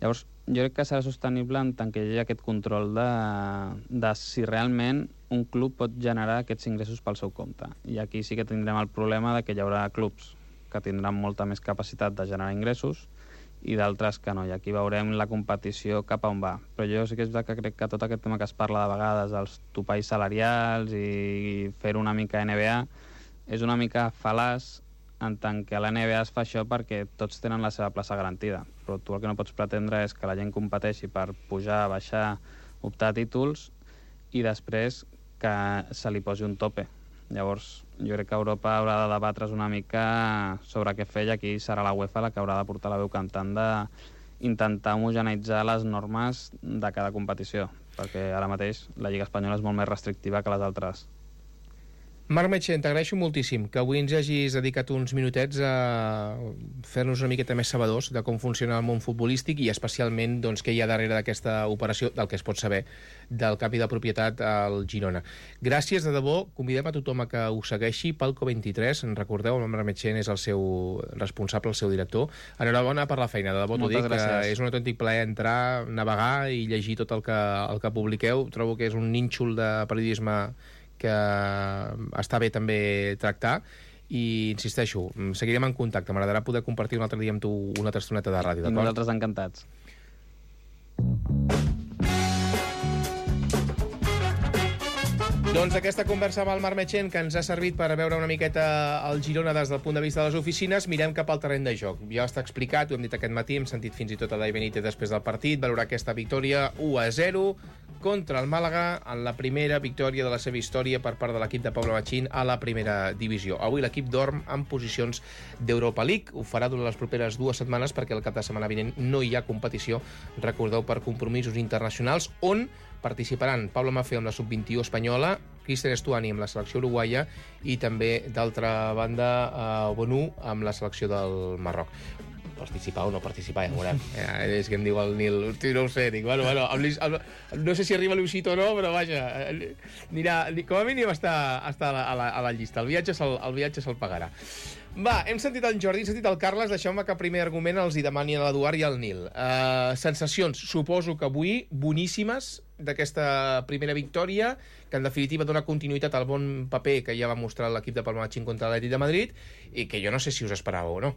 Speaker 13: Llavors, jo crec que serà sostenible en tant que hi hagi aquest control de si realment un club pot generar aquests ingressos pel seu compte. I aquí sí que tindrem el problema de que hi haurà clubs que tindran molta més capacitat de generar ingressos i d'altres que no, i aquí veurem la competició cap a on va. Però jo sí que és veritat que crec que tot aquest tema que es parla de vegades dels topalls salarials i fer una mica NBA és una mica fal·laç en tant que a la NBA es fa això perquè tots tenen la seva plaça garantida, però tu el que no pots pretendre és que la gent competeixi per pujar, baixar, optar a títols i després que se li posi un tope. Llavors, jo crec que Europa haurà de debatre's una mica sobre què fer, i aquí serà la UEFA la que haurà de portar la veu cantant d'intentar homogeneïtzar les normes de cada competició, perquè ara mateix la Lliga Espanyola és molt més restrictiva que les altres.
Speaker 8: Marc Metxent, t'agraeixo moltíssim que avui ens hagis dedicat uns minutets a fer-nos una miqueta més sabedors de com funciona el món futbolístic i especialment doncs, què hi ha darrere d'aquesta operació, del que es pot saber del canvi de propietat al Girona. Gràcies, de debò. Convidem a tothom a que ho segueixi. Palco 23, en recordeu, el Marc Metxent és el seu responsable, el seu director. Enhorabona per la feina, de debò t'ho dic, que és un autèntic plaer entrar, navegar i llegir tot el que publiqueu. Trobo que és un nínxol de periodisme que està bé també tractar, i insisteixo, seguirem en contacte. M'agradarà poder compartir un altre dia amb tu una altra estoneta de ràdio, d'acord?
Speaker 13: Nosaltres encantats.
Speaker 8: Doncs aquesta conversa amb el Marc Metxent, que ens ha servit per veure una miqueta el Girona des del punt de vista de les oficines, mirem cap al terreny de joc. Ja està explicat, ho hem dit aquest matí, hem sentit fins i tot a Dai Benítez després del partit, valorar aquesta victòria 1-0 contra el Màlaga en la primera victòria de la seva història per part de l'equip de Pablo Machín a la primera divisió. Avui l'equip dorm en posicions d'Europa League. Ho farà durant les properes 2 setmanes perquè el cap de setmana vinent no hi ha competició, recordeu, per compromisos internacionals, on participaran Pablo Maffeo amb la sub-21 espanyola, Cristian Estuani amb la selecció uruguaia i també, d'altra banda, Bonu amb la selecció del Marroc. Participar o no participar, ja veurem. És que em diu el Nil, hosti, no ho sé, dic, bueno, no sé si arriba Luisito o no, però vaja, anirà, com a mínim està a la llista, el viatge se'l pagarà. Va, hem sentit el Jordi, hem sentit el Carles, deixeu-me que primer argument els hi demani a l'Eduard i al Nil. Sensacions, suposo que avui, boníssimes, d'aquesta primera victòria, que en definitiva dona continuïtat al bon paper que ja va mostrar l'equip de Pablo Machín contra l'Atlètic de Madrid, i que jo no sé si us esperàveu o no.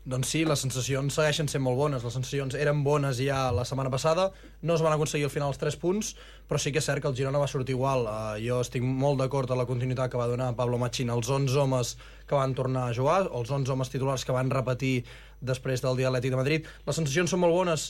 Speaker 18: Doncs sí, les sensacions segueixen sent molt bones. Les sensacions eren bones ja la setmana passada, no es van aconseguir al final els 3 punts, però sí que és cert que el Girona va sortir igual. Jo estic molt d'acord amb la continuïtat que va donar Pablo Machín als 11 homes que van tornar a jugar, els 11 homes titulars que van repetir després del dia Atlètic de Madrid. Les sensacions són molt bones.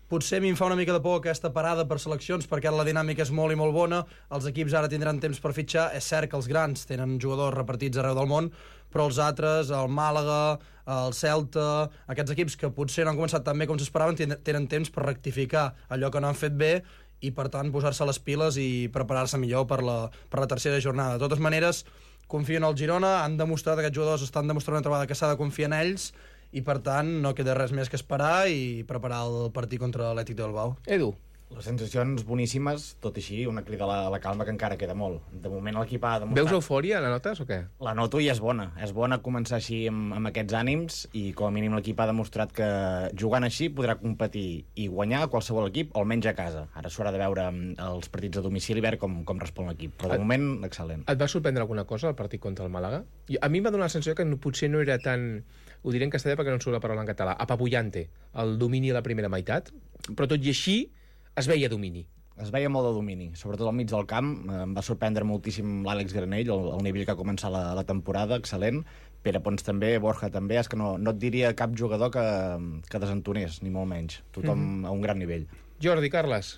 Speaker 18: Potser a mi em fa una mica de por aquesta parada per seleccions, perquè la dinàmica és molt i molt bona, els equips ara tindran temps per fitxar. És cert que els grans tenen jugadors repartits arreu del món, però els altres, el Màlaga, el Celta, aquests equips que potser no han començat tan bé com s'esperaven, tenen temps per rectificar allò que no han fet bé i, per tant, posar-se les piles i preparar-se millor per la tercera jornada. De totes maneres, confio en el Girona, han demostrat, aquests jugadors estan demostrant una altra vegada que s'ha de confiar en ells, i per tant no queda res més que esperar i preparar el partit contra l'Atlètic de Bilbao.
Speaker 8: Edu.
Speaker 19: Les sensacions boníssimes, tot així, una crida a la calma que encara queda molt. De moment l'equip ha demostrat...
Speaker 8: Veus eufòria, la notes, o què?
Speaker 19: La noto i és bona. És bona començar així amb aquests ànims i com a mínim l'equip ha demostrat que jugant així podrà competir i guanyar a qualsevol equip, o almenys a casa. Ara s'haurà de veure els partits a domicili i veure com respon l'equip. Però de moment, excel·lent.
Speaker 8: Et va sorprendre alguna cosa el partit contra el Màlaga? A mi em va donar la sensació que potser no era tan... Ho diré en castellà perquè no em surt la paraula en català. Apabullante, el domini a la primera meitat. Però tot i així es veia domini.
Speaker 19: Es veia molt de domini, sobretot al mig del camp. Em va sorprendre moltíssim l'Àlex Granell, el nivell que ha començat la temporada, excel·lent. Pere Pons també, Borja també. És que no et diria cap jugador que desentonés, ni molt menys. Tothom a un gran nivell.
Speaker 8: Jordi, Carles.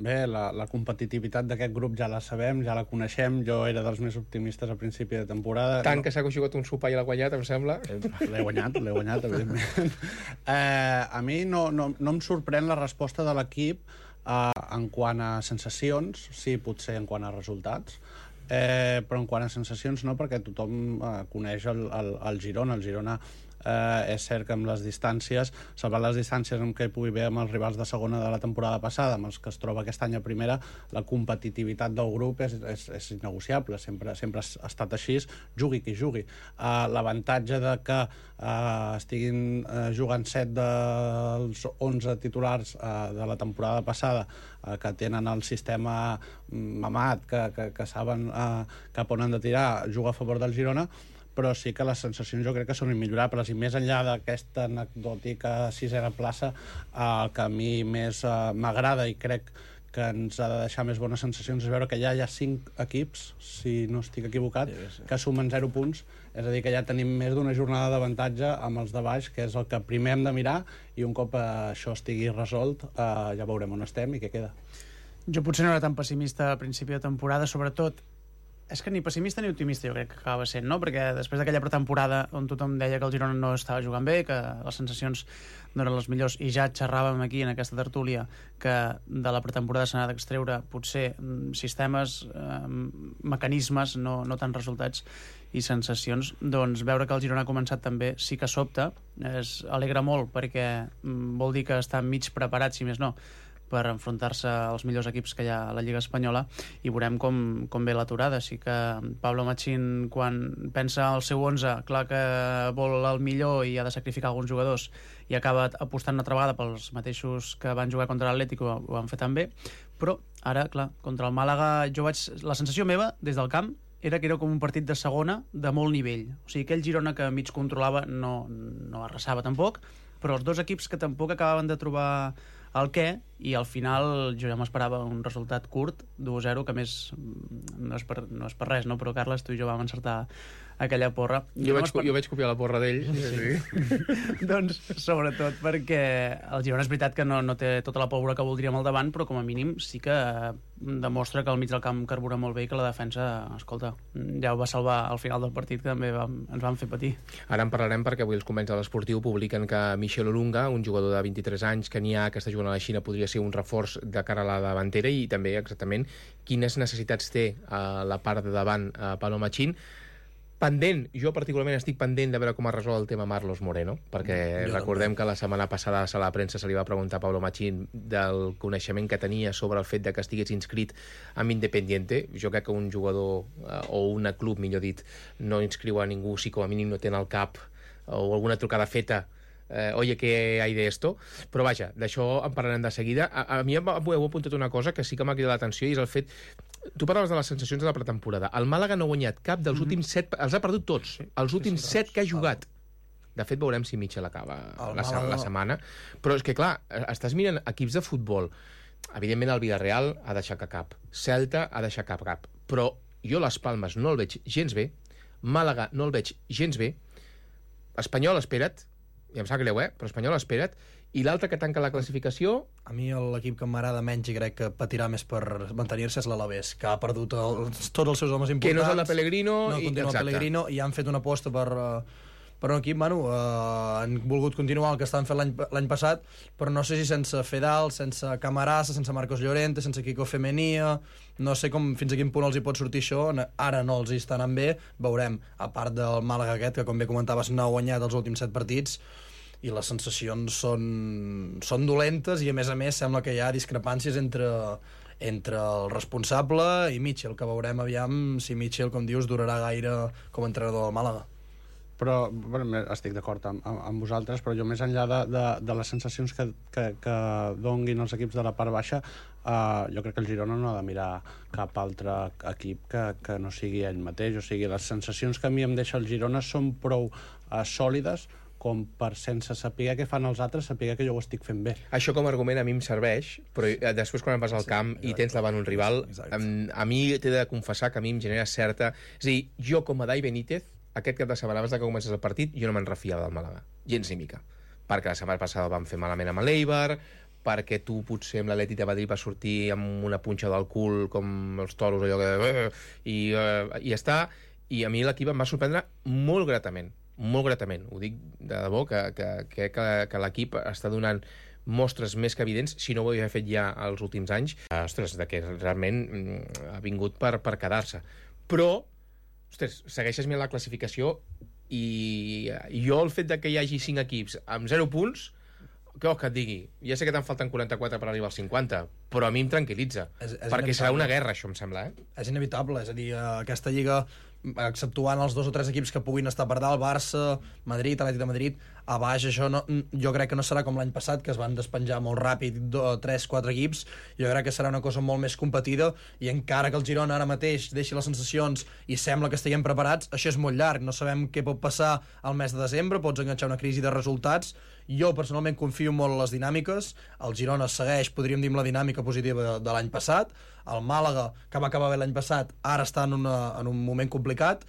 Speaker 12: Bé, la competitivitat d'aquest grup ja la sabem, ja la coneixem. Jo era dels més optimistes a principi de temporada.
Speaker 8: Tant que s'ha jugat un sopar i l'ha guanyat, em sembla.
Speaker 12: L'he guanyat, evidentment. A mi no em sorprèn la resposta de l'equip en quant a sensacions, sí, potser en quant a resultats, però en quant a sensacions no, perquè tothom coneix el Girona. El Girona és cert que amb les distàncies, salvant les distàncies amb què pugui haver amb els rivals de segona de la temporada passada, amb els que es troba aquest any a primera, la competitivitat del grup és innegociable, sempre ha estat així, jugui qui jugui. L'avantatge de que estiguin jugant 7 dels 11 titulars de la temporada passada, que tenen el sistema mamat, que saben cap on han de tirar, juga a favor del Girona, però sí que les sensacions jo crec que són immillorables, i més enllà d'aquesta anecdòtica 6a plaça, el que a mi més m'agrada i crec que ens ha de deixar més bones sensacions és veure que ja hi ha 5 equips, si no estic equivocat, que sumen 0 punts, és a dir, que ja tenim més d'una jornada d'avantatge amb els de baix, que és el que primer hem de mirar, i un cop això estigui resolt ja veurem on estem i què queda.
Speaker 14: Jo potser no era tan pessimista a principi de temporada, sobretot és que ni pessimista ni optimista jo crec que acaba sent, no? Perquè després d'aquella pretemporada on tothom deia que el Girona no estava jugant bé, que les sensacions no eren les millors, i ja xerràvem aquí en aquesta tertúlia que de la pretemporada s'ha d'extreure potser sistemes, mecanismes, no tant resultats i sensacions, doncs veure que el Girona ha començat també sí que sobta, alegra molt perquè vol dir que està mig preparat, si més no, per enfrontar-se als millors equips que hi ha a la Lliga Espanyola, i veurem com ve l'aturada. Sí que Pablo Machín, quan pensa al seu 11, clar que vol el millor i ha de sacrificar alguns jugadors, i acaba apostant una altra vegada pels mateixos que van jugar contra l'Atlético, ho van fer tan bé, però ara, clar, contra el Màlaga la sensació meva des del camp era que era com un partit de segona de molt nivell. O sigui, aquell Girona que mig controlava no arrasava tampoc, però els dos equips que tampoc acabaven de trobar el què, i al final jo ja m'esperava un resultat curt, 2-0, que a més no és per res, no? Però Carles, tu i jo vam encertar aquella porra.
Speaker 8: Jo vaig copiar la porra d'ell.
Speaker 14: Sí. Doncs sobretot perquè el Girona és veritat que no té tota la pólvora que voldríem al davant, però com a mínim sí que demostra que al mig del camp carbura molt bé i que la defensa, escolta, ja ho va salvar al final del partit, que també ens van fer patir.
Speaker 8: Ara en parlarem perquè avui els companys de l'Esportiu publiquen que Michel Olunga, un jugador de 23 anys kenyà que està jugant a la Xina, podria ser un reforç de cara a la davantera, i també exactament quines necessitats té a la part de davant Pablo Machín. Pendent, jo particularment estic pendent de veure com es resol el tema Marlos Moreno, perquè recordem que la setmana passada a la sala de premsa se li va preguntar a Pablo Machín del coneixement que tenia sobre el fet de que estigués inscrit amb Independiente. Jo crec que un jugador o un club, millor dit, no inscriu a ningú si com a mínim no té al cap o alguna trucada feta oye, ¿qué hay de esto? Però vaja, d'això en parlarem de seguida. A mi heu apuntat una cosa que sí que m'ha cridat l'atenció, i és el fet... Tu parlaves de les sensacions de la pretemporada. El Màlaga no ha guanyat cap dels últims 7... Els ha perdut tots. Els últims 7 que ha jugat. De fet, veurem si Mitchell acaba la setmana. Però és que, clar, estàs mirant equips de futbol. Evidentment, el Villarreal ha deixat cap. Celta ha deixat cap. Però jo les Palmes no el veig gens bé. Màlaga no el veig gens bé. Espanyol, espera't. Ja em sap greu, però Espanyol, espera't. I l'altre que tanca la classificació...
Speaker 18: A mi l'equip que m'agrada menys i crec que patirà més per mantenir-se és l'Alavés, que ha perdut tots els seus homes importants.
Speaker 8: Que no és el de Pellegrino.
Speaker 18: No continua el Pellegrino, i han fet una aposta per un equip, han volgut continuar el que estaven fent l'any passat, però no sé si sense Fedal, sense Camarasa, sense Marcos Llorente, sense Kiko Femenia, no sé fins a quin punt els hi pot sortir això. Ara no els hi està anant bé, veurem, a part del Màlaga aquest, que com bé comentaves no ha guanyat els últims 7 partits, i les sensacions són dolentes, i a més sembla que hi ha discrepàncies entre el responsable i Mitchell, que veurem aviam si Mitchell, com dius, durarà gaire com a entrenador del Màlaga.
Speaker 12: Però estic d'acord amb vosaltres, però jo més enllà de les sensacions que donguin els equips de la part baixa, jo crec que el Girona no ha de mirar cap altre equip que no sigui ell mateix. O sigui, les sensacions que a mi em deixa el Girona són prou sòlides com per, sense saber què fan els altres, saber que jo ho estic fent bé.
Speaker 8: Això com a argument a mi em serveix, però després quan vas al camp i tens davant un rival, a mi t'he de confessar que a mi em genera certa... És a dir, jo com a Dai Benítez, aquest cap de setmana abans que comencés el partit, jo no me'n refiava del Màlaga, gens ni mica. Perquè la setmana passada vam fer malament amb l'Eibar, perquè tu potser amb l'Atlètic de Madrid vas sortir amb una punxa del cul com els toros, allò que... I ja està. I a mi l'equip em va sorprendre molt gratament. Ho dic de debò, que crec que l'equip està donant mostres més que evidents, si no ho havia fet ja els últims anys, de que realment ha vingut per quedar-se. Però, segueixes mirant la classificació, i jo el fet de que hi hagi 5 equips amb 0 punts, què vols que et digui? Ja sé que te'n falten 44 per arribar als 50, però a mi em tranquil·litza, perquè serà una guerra, això em sembla. És
Speaker 18: inevitable, és a dir, aquesta lliga, exceptuant els 2 o 3 equips que puguin estar per dalt, Barça, Madrid, Atlètic de Madrid, a baix això jo crec que no serà com l'any passat, que es van despenjar molt ràpid 3-4 equips. Jo crec que serà una cosa molt més competida, i encara que el Girona ara mateix deixi les sensacions i sembla que estiguem preparats, això és molt llarg, no sabem què pot passar al mes de desembre, pots enganxar una crisi de resultats. Jo personalment confio molt en les dinàmiques, el Girona segueix, podríem dir, amb la dinàmica positiva de l'any passat, el Màlaga, que va acabar bé l'any passat, ara està en un moment complicat,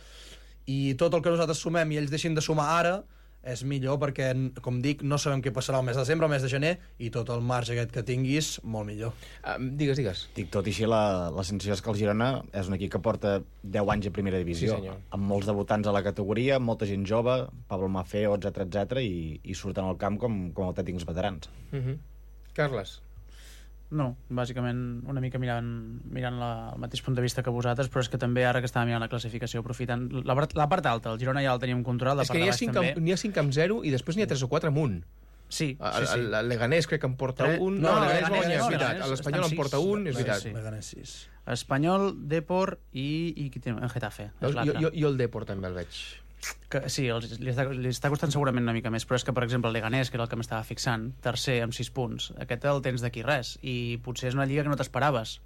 Speaker 18: i tot el que nosaltres sumem i ells deixin de sumar ara és millor, perquè, com dic, no sabem què passarà el mes de desembre, el mes de gener, i tot el marge aquest que tinguis, molt millor.
Speaker 8: Digues.
Speaker 19: Tot i així, la sensació és que el Girona és un equip que porta 10 anys a primera divisió, amb molts debutants a la categoria, molta gent jove, Pablo Mafeo, etc, i surten al camp com autèntics veterans.
Speaker 8: Carles?
Speaker 14: No, bàsicament una mica mirant el mateix punt de vista que vosaltres, però és que també ara que estava mirant la classificació, aprofitant la part alta, el Girona ja el teníem controlat, la part de baix també.
Speaker 8: N'hi ha 5 amb 0 i després n'hi ha 3 o 4 amb 1.
Speaker 14: Sí.
Speaker 8: El Leganés crec que en porta un. No, el Leganés va guanyar, és veritat. L'Espanyol en porta un, és veritat.
Speaker 18: Leganés 6.
Speaker 14: Espanyol, Depor i qui té? En Getafe.
Speaker 8: Jo el Depor també el veig.
Speaker 14: Sí, li està costant segurament una mica més, però és que, per exemple, el Leganés, que era el que m'estava fixant, tercer amb 6 punts, aquest el tens d'aquí res, i potser és una lliga que no t'esperaves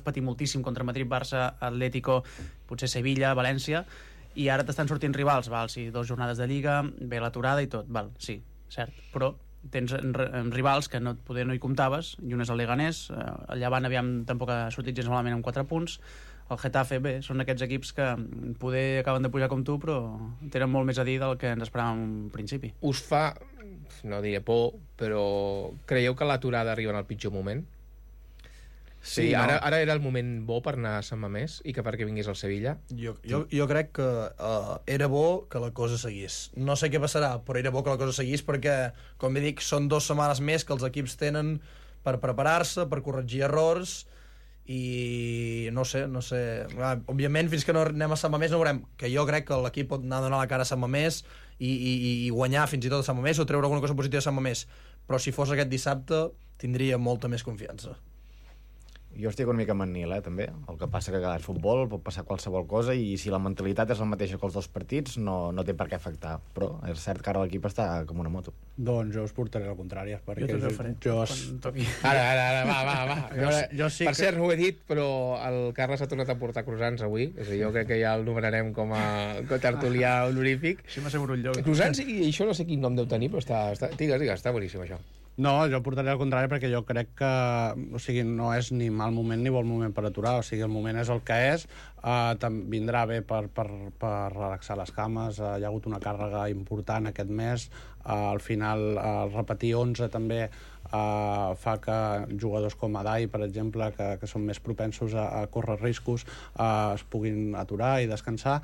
Speaker 14: patir moltíssim contra Madrid, Barça, Atlético, potser Sevilla, València, i ara t'estan sortint rivals, sí, 2 jornades de lliga, ve l'aturada i tot, sí, cert, però tens rivals que poder no hi comptaves, i un és el Leganés, el Llevant tampoc ha sortit gens malament amb 4 punts, el Getafe, bé, són aquests equips que poder acaben de pujar com tu, però tenen molt més a dir del que ens esperàvem en principi.
Speaker 8: Us fa, no diré por, però creieu que l'aturada arriba en el pitjor moment? Sí, no? Ara era el moment bo per anar a Sant Mamés i que perquè vingués al Sevilla?
Speaker 18: Jo crec que era bo que la cosa seguís. No sé què passarà, però era bo que la cosa seguís perquè, com bé dic, són 2 setmanes més que els equips tenen per preparar-se, per corregir errors, i no sé. Òbviament, fins que no anem a Sant Mamés no veurem, que jo crec que l'equip pot anar a donar la cara a Sant Mamés i guanyar fins i tot a Sant Mamés o treure alguna cosa positiva a Sant Mamés, però si fos aquest dissabte tindria molta més confiança.
Speaker 19: Jo estic una mica amb en Nil, també. El que passa que al futbol pot passar qualsevol cosa i si la mentalitat és la mateixa que els 2 partits no té per què afectar. Però és cert que ara l'equip està com una moto.
Speaker 12: Doncs jo us portaré la contrària.
Speaker 14: Jo també ho faré.
Speaker 8: Ara, va.
Speaker 12: Jo sí
Speaker 8: per cert, no ho he dit, però el Carles ha tornat a portar croissants avui. És a dir, jo crec que ja el nomenarem com a tertulià honorífic.
Speaker 14: Així m'asseguro un lloc.
Speaker 8: Croissants, i això no sé quin nom deu tenir, però digues, està boníssim això.
Speaker 12: No, jo portaré al contrari perquè jo crec que no és ni mal moment ni bon moment per aturar, el moment és el que és, vindrà bé per relaxar les cames, hi ha hagut una càrrega important aquest mes, al final repetir 11 també fa que jugadors com Adai, per exemple, que són més propensos a córrer riscos, es puguin aturar i descansar,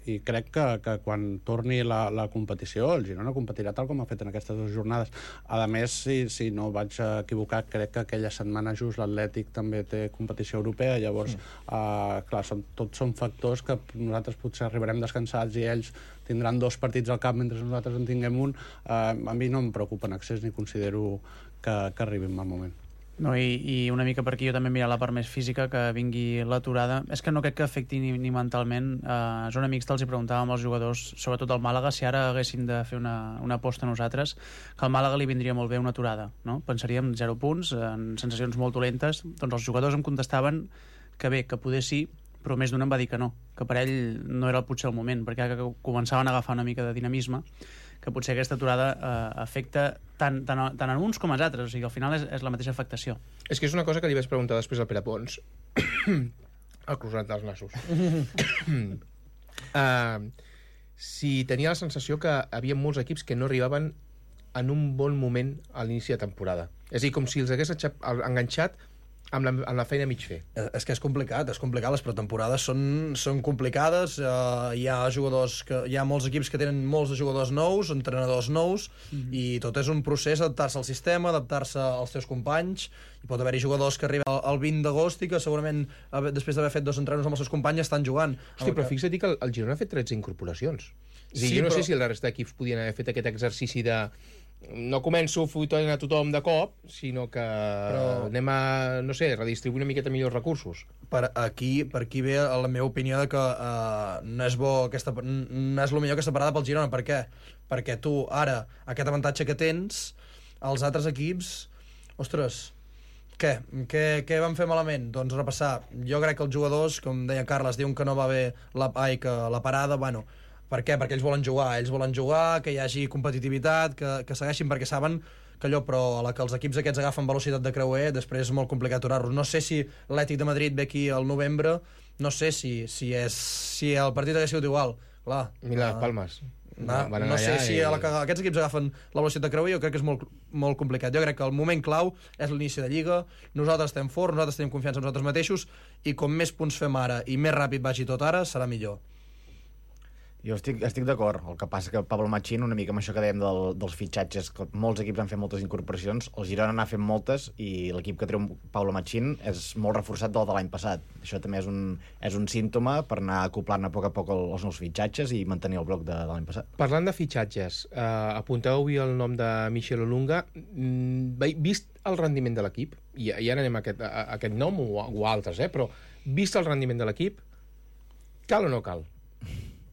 Speaker 12: i crec que quan torni la competició el Girona competirà tal com ha fet en aquestes 2 jornades. A més, si no vaig equivocar, crec que aquella setmana just l'Atlètic també té competició europea, llavors clar, tots són factors que nosaltres potser arribarem descansats i ells tindran 2 partits al cap mentre nosaltres en tinguem un. A mi no em preocupa en excés ni considero que arribi en mal moment.
Speaker 14: No, i una mica per aquí jo també mirar la part més física, que vingui l'aturada. És que no crec que afecti ni mentalment. A Zona Mixta els hi preguntàvem als jugadors, sobretot al Màlaga, si ara haguéssim de fer una aposta nosaltres, que al Màlaga li vindria molt bé una aturada, no? Pensaríem 0 punts, en sensacions molt dolentes. Doncs els jugadors em contestaven que bé, que poder sí, però més d'un em va dir que no, que per ell no era potser el moment, perquè començaven a agafar una mica de dinamisme, que potser aquesta aturada afecta tant en uns com als altres, o sigui, al final és la mateixa afectació.
Speaker 8: És que és una cosa que li vaig preguntar després al Pere Pons, el croissant dels nassos. Si tenia la sensació que hi havia molts equips que no arribaven en un bon moment a l'inici de temporada. És a dir, com si els hagués enganxat amb la feina a mig fer.
Speaker 18: És que és complicat, les pretemporades són complicades, hi ha molts equips que tenen molts de jugadors nous, entrenadors nous, i tot és un procés adaptar-se al sistema, adaptar-se als teus companys, i pot haver-hi jugadors que arriben al 20 d'agost i que segurament després d'haver fet 2 entrenos amb els seus companys estan jugant.
Speaker 8: Hosti, però fixa't que el Girona ha fet 13 incorporacions. Jo no sé si la resta d'equips podien haver fet aquest exercici de no començo fotent a tothom de cop, sinó que anem a, no sé, redistribuir una miqueta millors recursos.
Speaker 18: Per aquí ve la meva opinió de que no és el millor aquesta parada pel Girona. Per què? Perquè tu ara, aquest avantatge que tens, els altres equips, ostres, què van fer malament? Doncs repassar. Jo crec que els jugadors, com deia Carles, diuen que no va bé que la parada, bueno, per què? Perquè ells volen jugar, que hi hagi competitivitat, que segueixin, perquè saben que allò, però a la que els equips aquests agafen velocitat de creuer, després és molt complicat aturar-los. No sé si l'Atlètic de Madrid ve aquí al novembre, no sé si el partit hagués sigut igual. Clar,
Speaker 8: mira, Palmes.
Speaker 18: No sé si aquests equips agafen la velocitat de creuer, jo crec que és molt, molt complicat. Jo crec que el moment clau és l'inici de Lliga, nosaltres estem forts, nosaltres tenim confiança en nosaltres mateixos, i com més punts fem ara i més ràpid vagi tot ara, serà millor.
Speaker 19: Jo estic d'acord. El que passa que Pablo Machín, una mica amb això que dèiem dels fitxatges, que molts equips han fet moltes incorporacions, el Girona n'ha fet moltes i l'equip que treu Pablo Machín és molt reforçat del de l'any passat. Això també és un símptoma per anar acoplant a poc els nous fitxatges i mantenir el bloc de l'any passat.
Speaker 8: Parlant de fitxatges, apunteu avui el nom de Michel Olunga. Vist el rendiment de l'equip, i ara anem a aquest nom o altres, però vist el rendiment de l'equip, cal o no cal?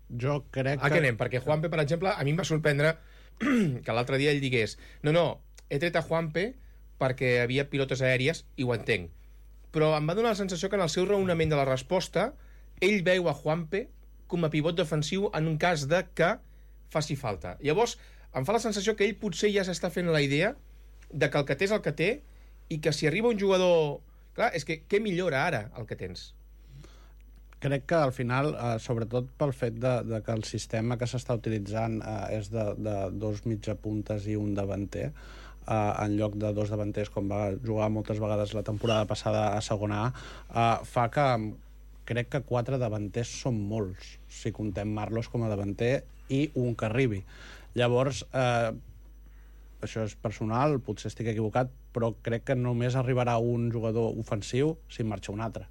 Speaker 12: Jo crec que...
Speaker 8: A què anem? Perquè Juanpe, per exemple, a mi em va sorprendre que l'altre dia ell digués no, he tret a Juanpe perquè havia pilotes aèries i ho entenc. Però em va donar la sensació que en el seu raonament de la resposta ell veu a Juanpe com a pivot defensiu en un cas de que faci falta. Llavors, em fa la sensació que ell potser ja s'està fent la idea de que el que té és el que té i que si arriba un jugador... Clar, és que què millora ara el que tens?
Speaker 12: Crec que al final, sobretot pel fet de que el sistema que s'està utilitzant és de dos mitjapuntes i un davanter, en lloc de dos davanters, com va jugar moltes vegades la temporada passada a segona A, fa que crec que 4 davanters són molts, si contem Marlos com a davanter i un que arribi. Llavors, això és personal, potser estic equivocat, però crec que només arribarà un jugador ofensiu si marxa un altre,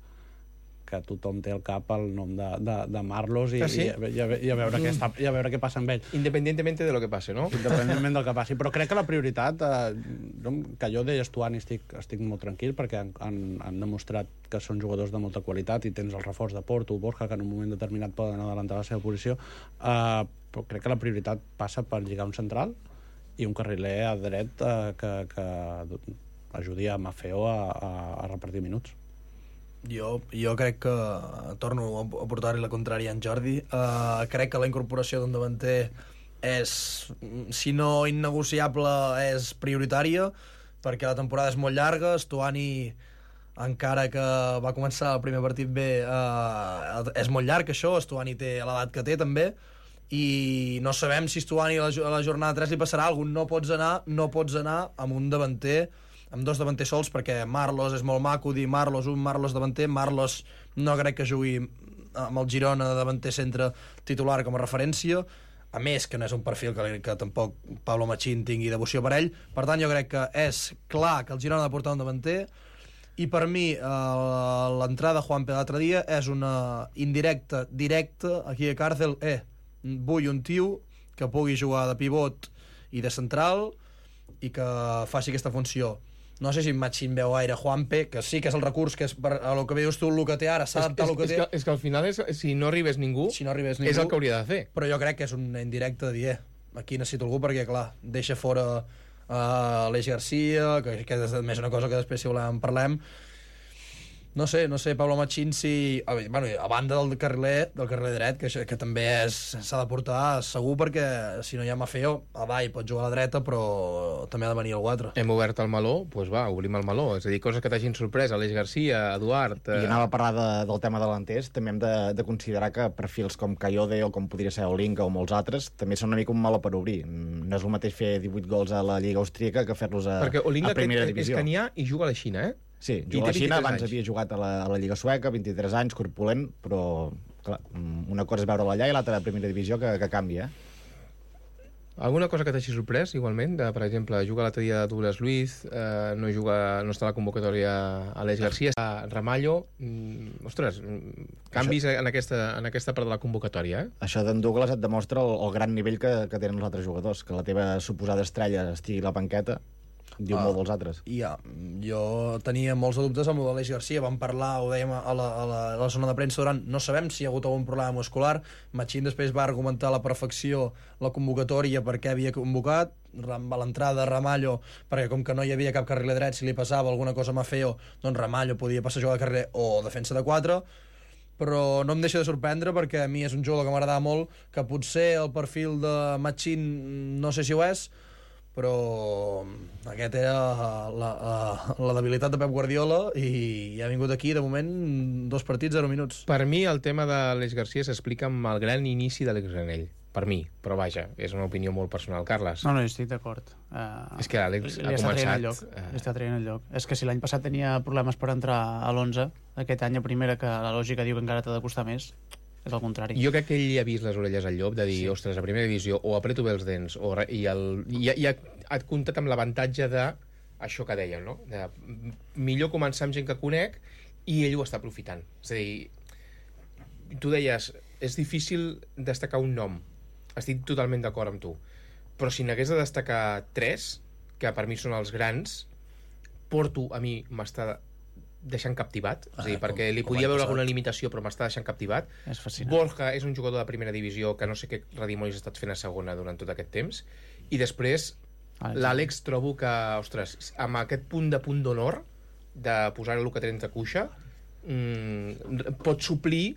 Speaker 12: que tothom té al cap el nom de Marlos i,
Speaker 8: sí?
Speaker 12: i a veure què passa amb ell.
Speaker 8: Independientemente de lo que passe, no?
Speaker 12: Independentment del que passi. Però crec que la prioritat, que jo de Stuani estic molt tranquil, perquè han demostrat que són jugadors de molta qualitat i tens el reforç de Porto, Borja, que en un moment determinat poden adelantar la seva posició, però crec que la prioritat passa per lligar un central i un carriler a dret que ajudi a Maffeo a repartir minuts.
Speaker 18: Jo crec que torno a portar-li la contrària a en Jordi. Crec que la incorporació d'un davanter és, si no innegociable, és prioritària, perquè la temporada és molt llarga. Stuani, encara que va començar el primer partit bé, és molt llarg això. Stuani té l'edat que té també, i no sabem si Stuani a la jornada 3 li passarà alguna cosa. No pots anar amb un davanter, amb dos davanters sols, perquè Marlos és molt maco dir Marlos davanter. Marlos no crec que jugui amb el Girona de davanter centre titular com a referència, a més que no és un perfil que tampoc Pablo Machín tingui devoció per ell. Per tant, jo crec que és clar que el Girona ha de portar un davanter, i per mi l'entrada de Juanpe l'altre dia és una indirecta directa aquí a Càrcel. Vull un tio que pugui jugar de pivot i de central i que faci aquesta funció. No sé si Machín veu gaire Juanpe, que sí que és el recurs, que és per a lo que veus tu el que té ara, s'ha d'adaptar el que té.
Speaker 8: És que al final, si no arribés ningú, és el que hauria de fer.
Speaker 18: Però jo crec que és una indirecta de dir, aquí necessito algú, perquè, clar, deixa fora Aleix Garcia, que és més una cosa que després, si volem, parlem. No sé, Pablo Machín, si... Bueno, a banda del carriler dret, que també s'ha de portar segur, perquè si no hi ha Maffeo, a Vall pot jugar a la dreta, però també ha de venir el 4.
Speaker 8: Hem obert el meló, doncs va, obrim el meló. És a dir, coses que t'hagin sorprès, Aleix Garcia, Eduard...
Speaker 19: I anava a parlar del tema delanters, també hem de considerar que perfils com Cayode o com podria ser Olinga o molts altres també són una mica un meló per obrir. No és el mateix fer 18 gols a la Lliga Austríaca que fer-los a primera divisió.
Speaker 8: És canià i juga a la Xina,
Speaker 19: Sí, juga a la Xina, abans havia jugat a la Lliga Sueca, 23 anys, corpulent, però clar, una cosa és veure-la allà i l'altra a primera divisió que canvia.
Speaker 8: Alguna cosa que t'hagi sorprès, igualment? Per exemple, juga l'altre dia Douglas Luiz, no està a la convocatòria Aleix Garcia, Ramallo... Ostres, canvis en aquesta part de la convocatòria,
Speaker 19: Això d'en Douglas et demostra el gran nivell que tenen els altres jugadors, que la teva suposada estrella estigui a la banqueta, diu molt dels altres.
Speaker 18: Jo tenia molts dubtes amb l'Aleix Garcia. Vam parlar, ho dèiem a la zona de premsa durant, no sabem si hi ha hagut algun problema muscular. Machín després va argumentar a la perfecció la convocatòria per què havia convocat, a l'entrada de Ramallo, perquè com que no hi havia cap carriler dret, si li passava alguna cosa a Maffeo, doncs Ramallo podia passar a jugar de carriler o defensa de 4. Però no em deixa de sorprendre, perquè a mi és un jugador que m'agradava molt, que potser el perfil de Machín no sé si ho és, però aquest era la debilitat de Pep Guardiola, i ha vingut aquí, de moment, 2 partits, 0 minuts.
Speaker 8: Per mi el tema de l'Aleix Garcia s'explica amb el gran inici de l'Àlex Granell. Per mi, però vaja, és una opinió molt personal. Carles?
Speaker 14: No, estic d'acord.
Speaker 8: És que l'Àlex ha començat...
Speaker 14: Li està traient el lloc. És que si l'any passat tenia problemes per entrar a l'11, aquest any a primera, que la lògica diu que encara t'ha de costar més, és el contrari.
Speaker 8: Jo crec que ell ha vist les orelles al llop de dir, ostres, a primera divisió o apreto bé els dents i ha comptat amb l'avantatge de això que dèiem, no? De millor començar amb gent que conec, i ell ho està aprofitant. És a dir, tu deies, és difícil destacar un nom. Estic totalment d'acord amb tu. Però si n'hagués de destacar 3, que per mi són els grans, Porto a mi m'està deixant captivat, és a dir, perquè li podia veure alguna limitació, però m'està deixant captivat.
Speaker 14: És fascinant.
Speaker 8: Borja és un jugador de primera divisió que no sé què redimonis ha estat fent a segona durant tot aquest temps. I després l'Àlex trobo que, ostres, amb aquest punt d'honor de posar el que tens de cuixa, pot suplir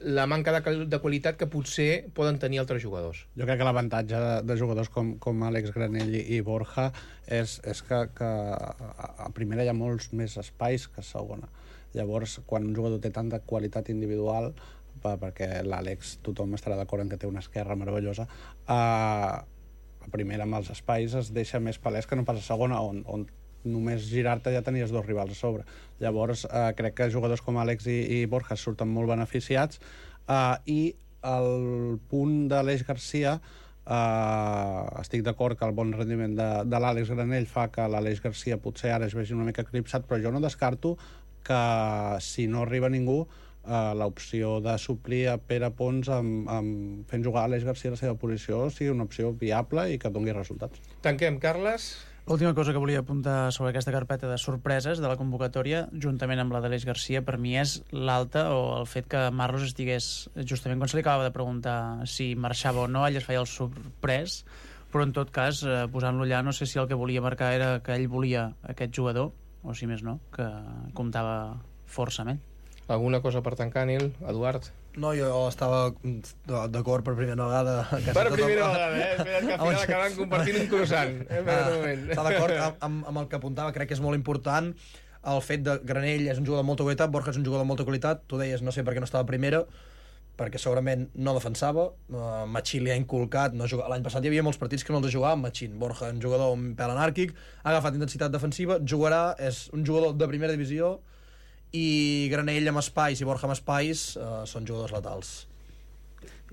Speaker 8: la manca de qualitat que potser poden tenir altres jugadors.
Speaker 12: Jo crec que l'avantatge de jugadors com Àlex Granell i Borja és que a primera hi ha molts més espais que a segona. Llavors, quan un jugador té tanta qualitat individual, perquè l'Àlex tothom estarà d'acord en que té una esquerra meravellosa, a primera amb els espais es deixa més palès que no pas a segona, on només girar-te ja tenies dos rivals a sobre. Llavors, crec que jugadors com Àlex i Borja surten molt beneficiats, i el punt de l'Aleix Garcia, estic d'acord que el bon rendiment de l'Àlex Granell fa que l'Aleix Garcia potser ara es vegi una mica eclipsat, però jo no descarto que si no arriba ningú, l'opció de suplir a Pere Pons fent jugar Àlex Garcia a la seva posició sigui una opció viable i que doni resultats.
Speaker 8: Tanquem, Carles.
Speaker 14: L'última cosa que volia apuntar sobre aquesta carpeta de sorpreses de la convocatòria, juntament amb la d'Aleix Garcia, per mi és l'alta o el fet que Marlos estigués, justament quan se li acabava de preguntar si marxava o no, ell es feia el sorprès, però en tot cas, posant-lo allà, no sé si el que volia marcar era que ell volia aquest jugador, o si més no, que comptava força amb ell.
Speaker 8: Alguna cosa per tancar, Nil? Eduard?
Speaker 18: No, jo estava d'acord per primera vegada.
Speaker 8: Per primera vegada, Espera't que al final acaben compartint un croissant.
Speaker 18: Està d'acord amb el que apuntava, crec que és molt important. El fet de Granell és un jugador de molta qualitat, Borja és un jugador de molta qualitat. Tu deies, no sé per què no estava a primera, perquè segurament no defensava. Machín li ha inculcat. L'any passat hi havia molts partits que no els jugava amb Machín. Borja, un jugador un pèl anàrquic, ha agafat intensitat defensiva, jugarà, és un jugador de primera divisió, i Granell amb espais i Borja amb espais són jugadors letals.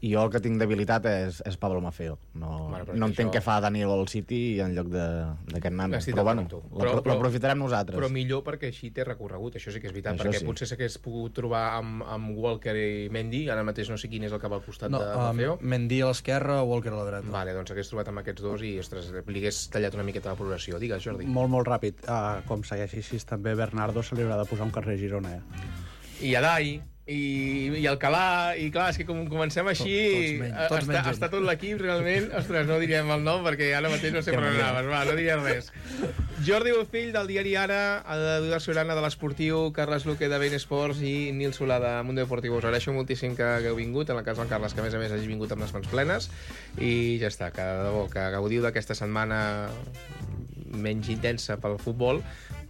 Speaker 19: I jo el que tinc debilitat és Pablo Maffeo. No entenc què fa Danilo al City en lloc d'aquest nano. Però bueno, l'aprofitarem nosaltres.
Speaker 8: Però millor perquè així té recorregut, això sí que és veritat, perquè potser s'hagués pogut trobar amb Walker i Mendy, ara mateix no sé quin és el que va al costat de Maffeo.
Speaker 18: Mendy a l'esquerra, Walker a la dreta.
Speaker 8: Vale, doncs s'hagués trobat amb aquests dos i, ostres, li hagués tallat una miqueta la progressió. Digues, Jordi.
Speaker 12: Molt ràpid. Com segueixi així, també Bernardo se li haurà de posar un carrer Girona,
Speaker 8: I Adai, i Alcalà, i clar, és que com comencem així està tot l'equip realment, ostres, no diríem el nom perquè ara mateix no sé per on anaves, no diries res. Jordi Bofill del diari Ara, Eduard Sorana de l'Esportiu, Carles Luque de Bein Sports i Nil Solà de Mundo Deportivo. Us agraeixo moltíssim que hagueu vingut, en el cas del Carles, que a més hagi vingut amb les mans plenes, i ja està, que de debò, que gaudiu d'aquesta setmana menys intensa pel futbol,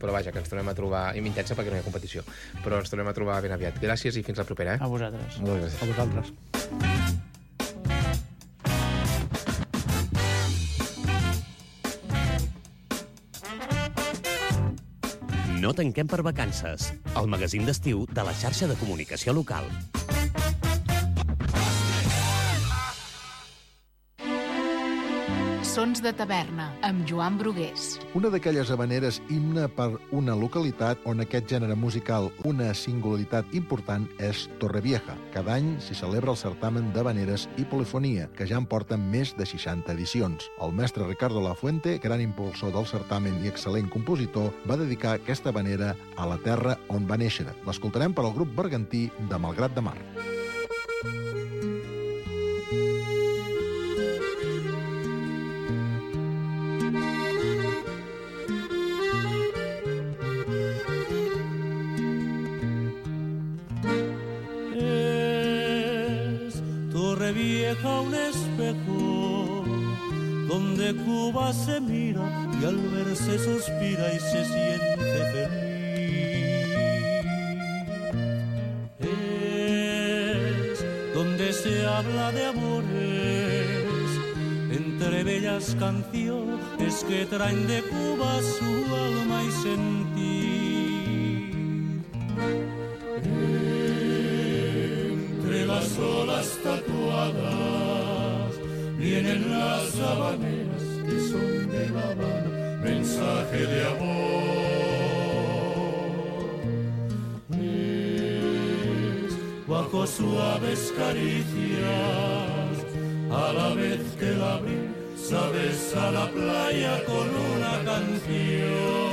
Speaker 8: però vaja, que ens tornem a trobar, i intensa perquè no hi ha competició, però ens tornem a trobar ben aviat. Gràcies i fins la propera.
Speaker 14: A vosaltres.
Speaker 12: A vosaltres.
Speaker 9: No tanquem per vacances. El magazín d'estiu de la xarxa de comunicació local.
Speaker 1: Sons de taverna, amb Joan Brugués.
Speaker 20: Una d'aquelles havaneres himne per una localitat on aquest gènere musical, una singularitat important, és Torrevieja. Cada any s'hi celebra el certamen d'havaneres i polifonia, que ja en porten més de 60 edicions. El mestre Ricardo Lafuente, gran impulsor del certamen i excel·lent compositor, va dedicar aquesta havanera a la terra on va néixer. L'escoltarem per al grup bergantí de Malgrat de Mar.
Speaker 21: Torrevieja un espejo donde Cuba se mira y al verse suspira y se siente feliz. Es donde se habla de amores entre bellas canciones que traen de Cuba su alma y sentir. Entre las olas tatuadas vienen las habaneras que son de La Habana, mensaje de amor. Bajo suaves caricias, a la vez que la brisa besa la playa con una canción.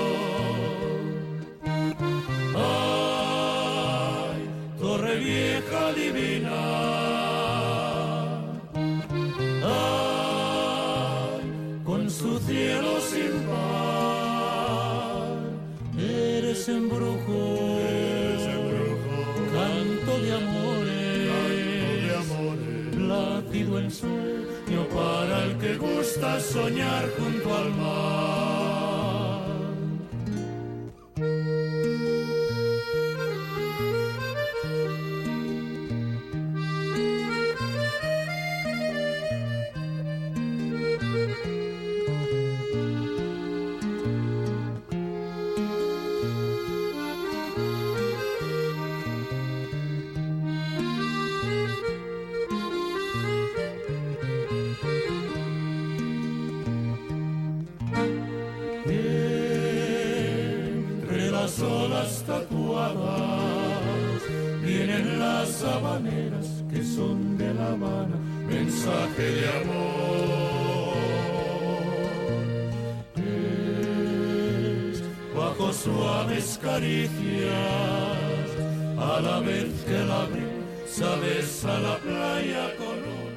Speaker 21: Ay, Torrevieja divina, su cielo sin par, eres embrujo, canto de amores, perdido en sueño para el que gusta soñar junto al mar. Las olas tatuadas vienen las habaneras que son de La Habana, mensaje de amor. Es bajo suaves caricias, a la vez que la brisa besa la playa con un